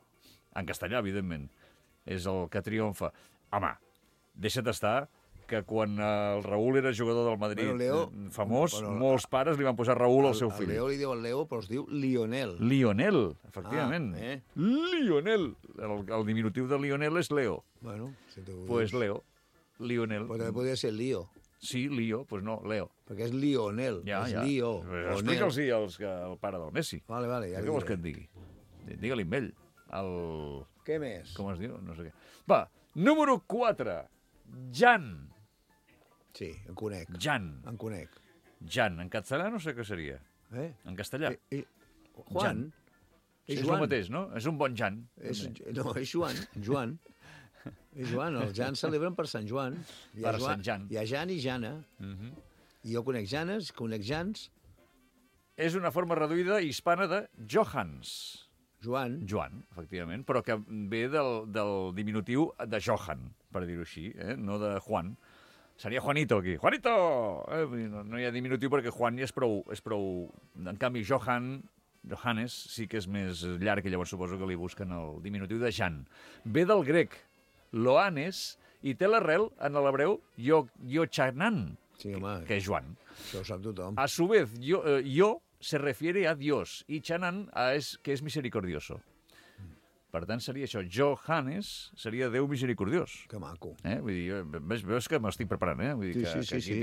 en castellà, evidentment, és el que triomfa. Home, deixa't estar que quan el Raül era jugador del Madrid famós, molts pares li van posar Raül al seu fill. Leo li diuen Leo, però es diu Lionel. Lionel, efectivament. Lionel. El diminutiu de Lionel és Leo. Bueno, si tu pues Leo. Lionel. Però també podria ser Lío. Sí, Lío, pues no, Leo. Perquè és Lionel, és Lío. Explica'ls al pare del Messi. Vale, ja què vols que et digui? Digue-li amb ell. Què més? Com es diu? No sé què. Va, número 4. Jan. Sí, en conec. Jan. En conec. Jan. En català no sé què seria. En castellà. Juan. És el mateix, no? És un bon Jan. No, és Joan. Joan. És Joan. Els Jans celebren per Sant Joan. Per Sant Jan. Hi ha Jan i Jana. I jo conec Janes, conec Jans. És una forma reduïda hispana de Johans. Joan, efectivament, però que ve del diminutiu de Johan, per dir-ho així, no de Juan. Seria Juanito, aquí. Juanito! No hi ha diminutiu perquè Juan ja és prou... En canvi, Johannes sí que és més llarg i llavors suposo que li busquen el diminutiu de Jan. Ve del grec, Loanes, i té l'arrel en l'hebreu Yochanan, que és Joan. Això ho sap tothom. A su vez, yo se refiere a Dios y Chanan que és misericordioso. Per tant, seria això. Johannes seria Déu misericordiós. Que maco. Vull dir, veus que m'estic preparant, Vull dir que aquí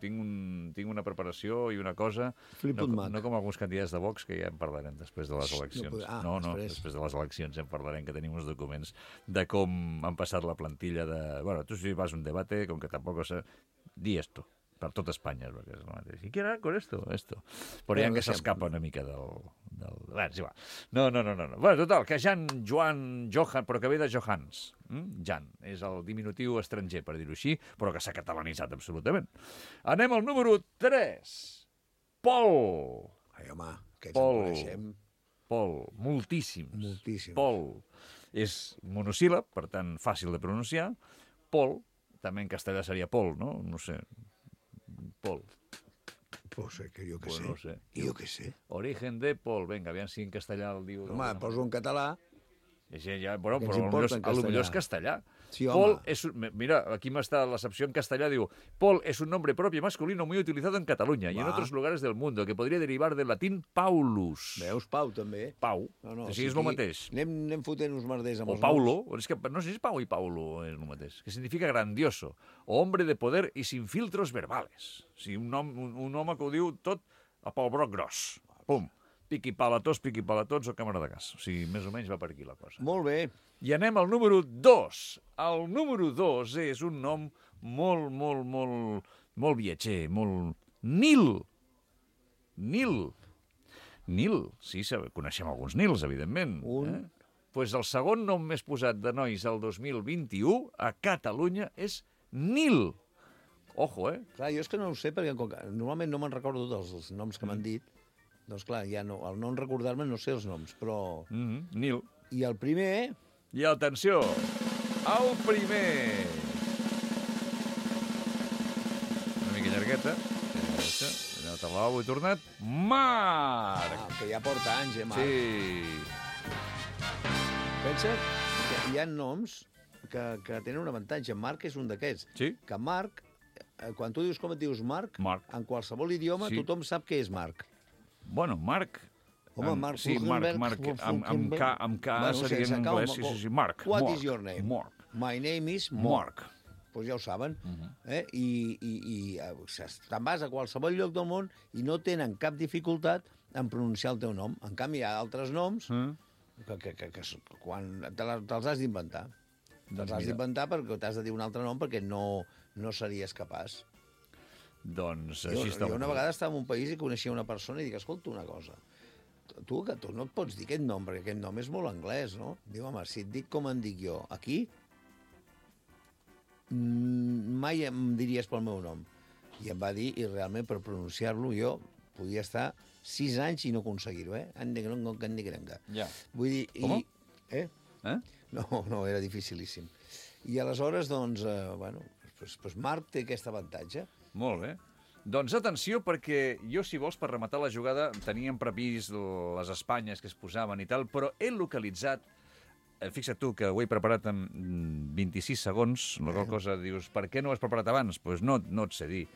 tinc una preparació i una cosa... No com alguns candidats de Vox, que ja en parlarem després de les eleccions. No, després de les eleccions en parlarem, que tenim uns documents de com han passat la plantilla de... Bueno, tu si vas a un debate, com que tampoc sé... Di esto. Per tot Espanya, perquè és el mateix. I què era con esto? Però hi ha que s'escapa una mica del... Bé, és igual. No. Bueno, total, que Johan, però que ve de Johans. Jan, és el diminutiu estranger, per dir-ho així, però que s'ha catalanitzat absolutament. Anem al número 3. Pol. Ai, home, aquests en coneixem. Pol, moltíssims. Pol és monosíl·lab, per tant, fàcil de pronunciar. Pol, també en castellà seria Pol, no? No sé... Pol. Pues que jo què sé. No sé. Jo què sé. Origen de Pol. Vinga, aviam si en castellà el diu... Home, poso en català. Però potser és castellà. Sí, Pol es... Mira, aquí m'està l'accepció en castellà, diu Pol es un nombre propio masculino muy utilizado en Cataluña y en otros lugares del mundo, que podría derivar del latín Paulus. Veus, Pau, també. Pau. Sí, és el mateix. Anem fotent uns merders amb els noms. O Paulo. És que no sé si Pau i Paulo és el mateix. Que significa grandioso. O hombre de poder y sin filtros verbales. Sí, un home que ho diu tot a pel broc gros. Pum. Piqui-palatós o càmera de gas. O sigui, més o menys va per aquí la cosa. Molt bé. I anem al número 2. El número 2 és un nom molt viatger, molt... Nil. Sí, coneixem alguns Nils, evidentment. Pues el segon nom més posat de nois al 2021 a Catalunya és Nil. Ojo, Clar, jo és que no ho sé, perquè normalment no me'n recordo dels noms que m'han dit. Doncs clar, ja no, al no recordar-me no sé els noms, però... Nil. I el primer... I atenció, el primer... Una mica llargueta. Ja te l'ho he tornat. Marc! Que ja porta anys, Marc? Sí. Pensa que hi ha noms que tenen un avantatge. Marc és un d'aquests. Sí. Que Marc, quan tu dius com et dius Marc, en qualsevol idioma tothom sap què és Marc. Bueno, Mark... Home, Mark sí, Mark, amb K seria en anglès. Sí, Mark. What is your name? Mark. My name is Mark. Pues ja ho saben. I te'n vas a qualsevol lloc del món i no tenen cap dificultat en pronunciar el teu nom. En canvi, hi ha altres noms que quan te'ls has d'inventar. Te'ls has d'inventar perquè t'has de dir un altre nom perquè no series capaç. Doncs així està. Jo una vegada estava en un país i coneixia una persona i dic, escolta una cosa, tu no et pots dir aquest nom, perquè aquest nom és molt anglès, no? Diu, home, si et dic com en dic jo, aquí, mai em diries pel meu nom. I em va dir, i realment per pronunciar-lo jo podia estar 6 anys i no aconseguir-ho, Ja. Vull dir... Eh? No, era dificilíssim. I aleshores, doncs, Marc té aquest avantatge. Molt bé. Doncs atenció, perquè jo, si vols, per rematar la jugada, teníem previst les Espanyes que es posaven i tal, però he localitzat, fixa't tu, que ho he preparat en 26 segons, la qual cosa dius, per què no ho has preparat abans? Doncs no et sé dir.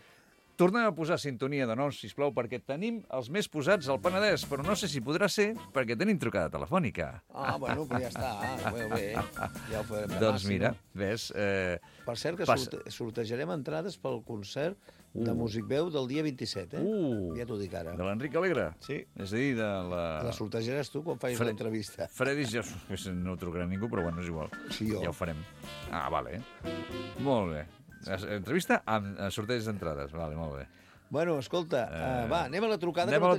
Tornem a posar sintonia de noms, sisplau, perquè tenim els més posats al Penedès, però no sé si podrà ser perquè tenim trucada telefònica. Bueno, però ja està. Bé. Ja ho farem demà. Doncs mira, ves... Per cert, que sortejarem entrades pel concert de Musicveu del dia 27, Ja t'ho dic ara. De l'Enric Alegre? Sí. És a dir, de la... La sortejaràs tu quan facis l'entrevista. Fredis ja no trucarà ningú, però bueno, és igual. Sí, jo. Ja ho farem. Vale. Molt bé. Entrevista amb sorteig d'entrades. Vale, molt bé. Bueno, escolta, anem a la trucada. Anem a la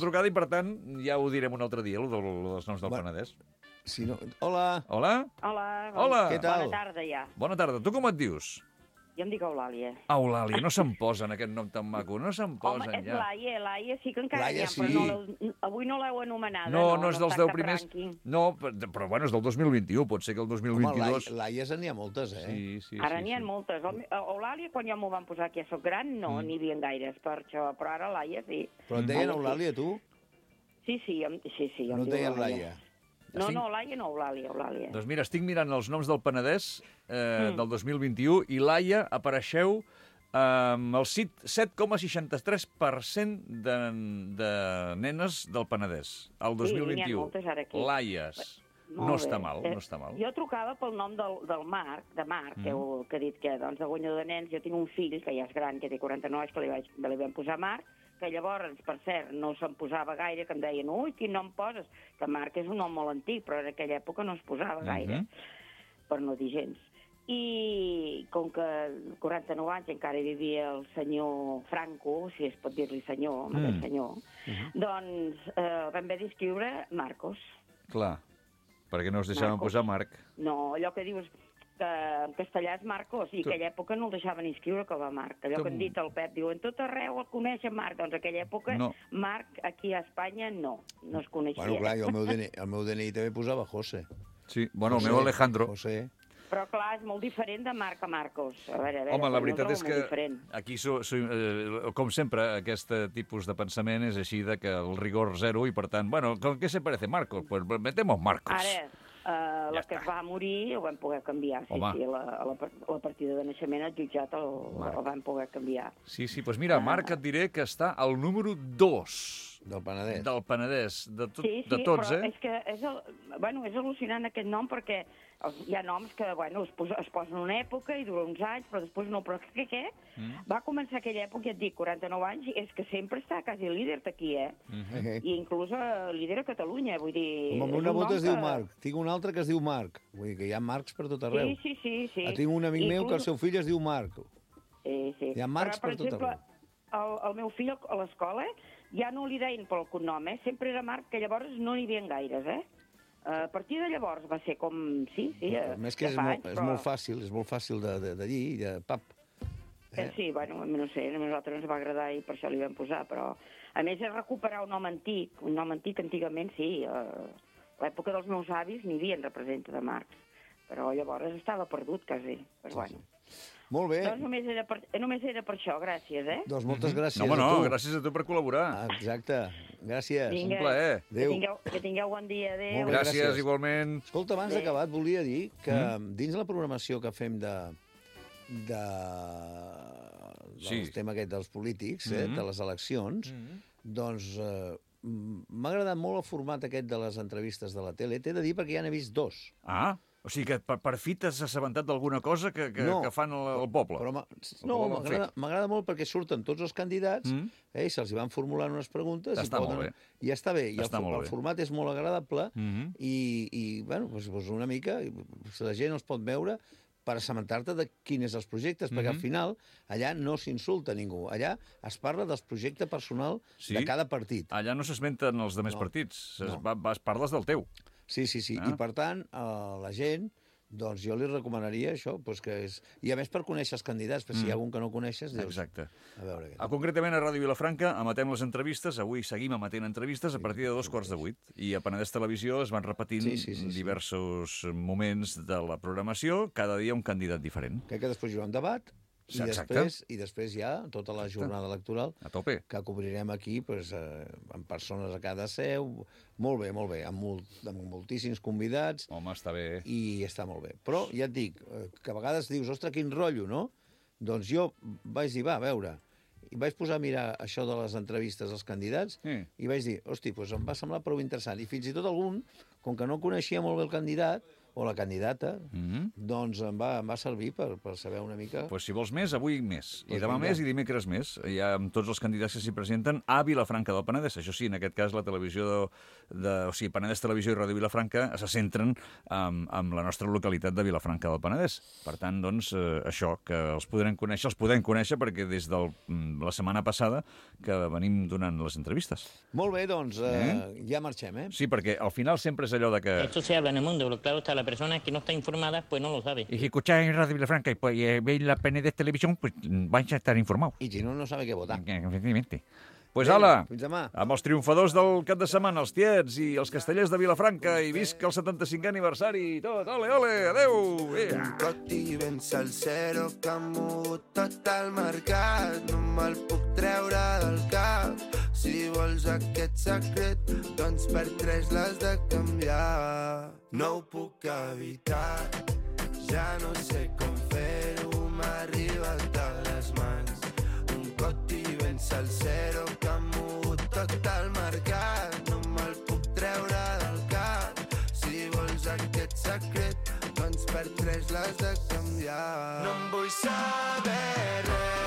trucada i, per tant, ja ho direm un altre dia, dels noms del Penedès. Si no... Hola. Hola. Hola. Què tal? Bona tarda, ja. Bona tarda. Tu com et dius? Jo em dic Eulàlia. Eulàlia, no se'n posen aquest nom tan maco, no se'n posen Home, ja. Laia sí que encara Laia, n'hi ha, però avui no l'heu anomenada. No és dels 10 primers. No, però bueno, és del 2021, pot ser que el 2022... Home, Laies n'hi ha moltes, Sí. Ara n'hi ha moltes. Eulàlia, quan jo m'ho van posar que ja soc gran, no n'hi havia gaires per això, però ara Laia sí. Però et deien Eulàlia, tu? Sí. No et deien Laia? No, Laia no, Eulàlia. Doncs mira, estic mirant els noms del Penedès del 2021 i Laia apareixeu amb el 7,63% de nenes del Penedès, el 2021. Sí, n'hi ha moltes ara aquí. Laies. No està mal. Jo trucava pel nom del Marc, que he dit que doncs, de guanyador de nens. Jo tinc un fill que ja és gran, que té 49, que li vam posar Marc, que llavors, per cert, no se'n posava gaire, que em deien, ui, quin nom poses? Que Marc és un nom molt antic, però en aquella època no es posava gaire, per no dir gens. I com que 49 anys encara vivia el senyor Franco, si es pot dir-li senyor, aquest senyor, doncs vam haver d'escriure Marcos. Clar, perquè no es deixaven posar Marc. No, allò que dius que en castellà és Marcos, i en aquella època no el deixaven inscriure com a Marc. Allò que han dit el Pep, diu, en tot arreu el coneixen Marc, doncs en aquella època Marc aquí a Espanya no es coneixia. Bueno, clar, jo el meu DNI també posava José. Sí, bueno, el meu Alejandro. José. Però, clar, és molt diferent de Marc a Marcos. A veure, home, la veritat és que aquí, com sempre, aquest tipus de pensament és així de que el rigor zero i, per tant, bueno, ¿qué se parece Marcos? Pues metemos Marcos. Ara, la que es va morir ho vam poder canviar. Sí, la partida de naixement al jutjat el vam poder canviar. Sí, doncs mira, Marc, et diré que està al número 2. Del Penedès. Del Penedès, de tots, però és que és al·lucinant aquest nom, perquè hi ha noms que, es posen una època i dura uns anys, però després no. Però què? Va començar aquella època, ja et dic, 49 anys, i és que sempre està quasi líder d'aquí, I inclús líder a Catalunya, vull dir... Com el meu nebot es diu Marc. Tinc un altre que es diu Marc. Vull dir que hi ha Marcs per tot arreu. Sí. Tinc un amic meu que el seu fill es diu Marc. Sí. Hi ha Marcs per tot arreu. El meu fill a l'escola ja no li deien pel cognom, sempre era Marc, que llavors no n'hi havia gaires, A partir de llavors va ser com... Sí, més que és molt fàcil de dir, de pap. Sí, no sé, a nosaltres ens va agradar i per això li vam posar, però... A més, és recuperar un nom antic. Un nom antic, antigament, sí. A l'època dels meus avis n'hi havia representa de Marcs, però llavors estava perdut, quasi. Però bueno... Molt bé. Doncs només era per això, gràcies, Doncs moltes gràcies a tu. Gràcies a tu per col·laborar. Exacte, gràcies. Un plaer. Que tingueu bon dia, adéu. Gràcies, igualment. Escolta, abans d'acabar, et volia dir que dins la programació que fem del tema aquest dels polítics, de les eleccions, doncs m'ha agradat molt el format aquest de les entrevistes de la tele. T'he de dir perquè ja n'he vist 2. Ah, o sigui que per fi t'has assabentat d'alguna cosa que fan el poble. M'agrada molt perquè surten tots els candidats i se'ls van formulant unes preguntes. Està molt bé. I està bé. I el format és molt agradable i bueno, doncs una mica, la gent els pot veure per assabentar-te de quins són els projectes, perquè al final allà no s'insulta ningú. Allà es parla del projecte personal de cada partit. Allà no s'esmenten els demés partits, parles del teu. Sí. I per tant, la gent, doncs jo li recomanaria això, i a més per conèixer els candidats, perquè si hi ha algun que no coneixes, dius... Exacte. A veure què... Concretament a Ràdio Vilafranca emetem les entrevistes, avui seguim emetent entrevistes a partir de 2:15, i a Penedès Televisió es van repetint diversos moments de la programació, cada dia un candidat diferent. Crec que després hi haurà un debat, i després hi ha tota la jornada electoral a tope, que cobrirem aquí amb persones a cada seu. Molt bé, amb moltíssims convidats. Home, està bé. I està molt bé. Però ja et dic, que a vegades dius, ostres, quin rotllo, no? Doncs jo vaig dir, va, a veure, i vaig posar a mirar això de les entrevistes als candidats i vaig dir, hosti, doncs em va semblar prou interessant. I fins i tot algun, com que no coneixia molt bé el candidat, o la candidata, doncs em va servir per saber una mica... Doncs si vols més, avui més. I demà més i dimecres més. Hi ha tots els candidats que s'hi presenten a Vilafranca del Penedès. Això sí, en aquest cas la televisió o sigui, Penedès Televisió i Ràdio Vilafranca se centren en la nostra localitat de Vilafranca del Penedès. Per tant, doncs, això, que els podem conèixer perquè des de la setmana passada que venim donant les entrevistes. Molt bé, doncs, ja marxem, Sí, perquè al final sempre és allò de que... Esto se habla en el mundo, pero claro está, la persona que no está informada, pues no lo sabe. Y si escucháis en Radio Vilafranca y veis la Penedès Televisión, pues vais a estar informados. I si no sabe què votar. Efectivamente. Pues ala, fins demà. Amb els triomfadors del cap de setmana, els tiets i els castellers de Vilafranca, i visca el 75è aniversari i tot. Ole, adeu! Un coti ben salsero que ha mogut tot el mercat. No me'l puc treure del cap. Si vols aquest secret, doncs per 3 l'has de canviar. No ho puc evitar, ja no sé com fer-ho, m'ha arribat a les mans. Un coti ben salsero que ha mogut tot el mercat. No me'l puc treure del cap. Si vols aquest secret, doncs per 3 l'has de canviar. No en vull saber res.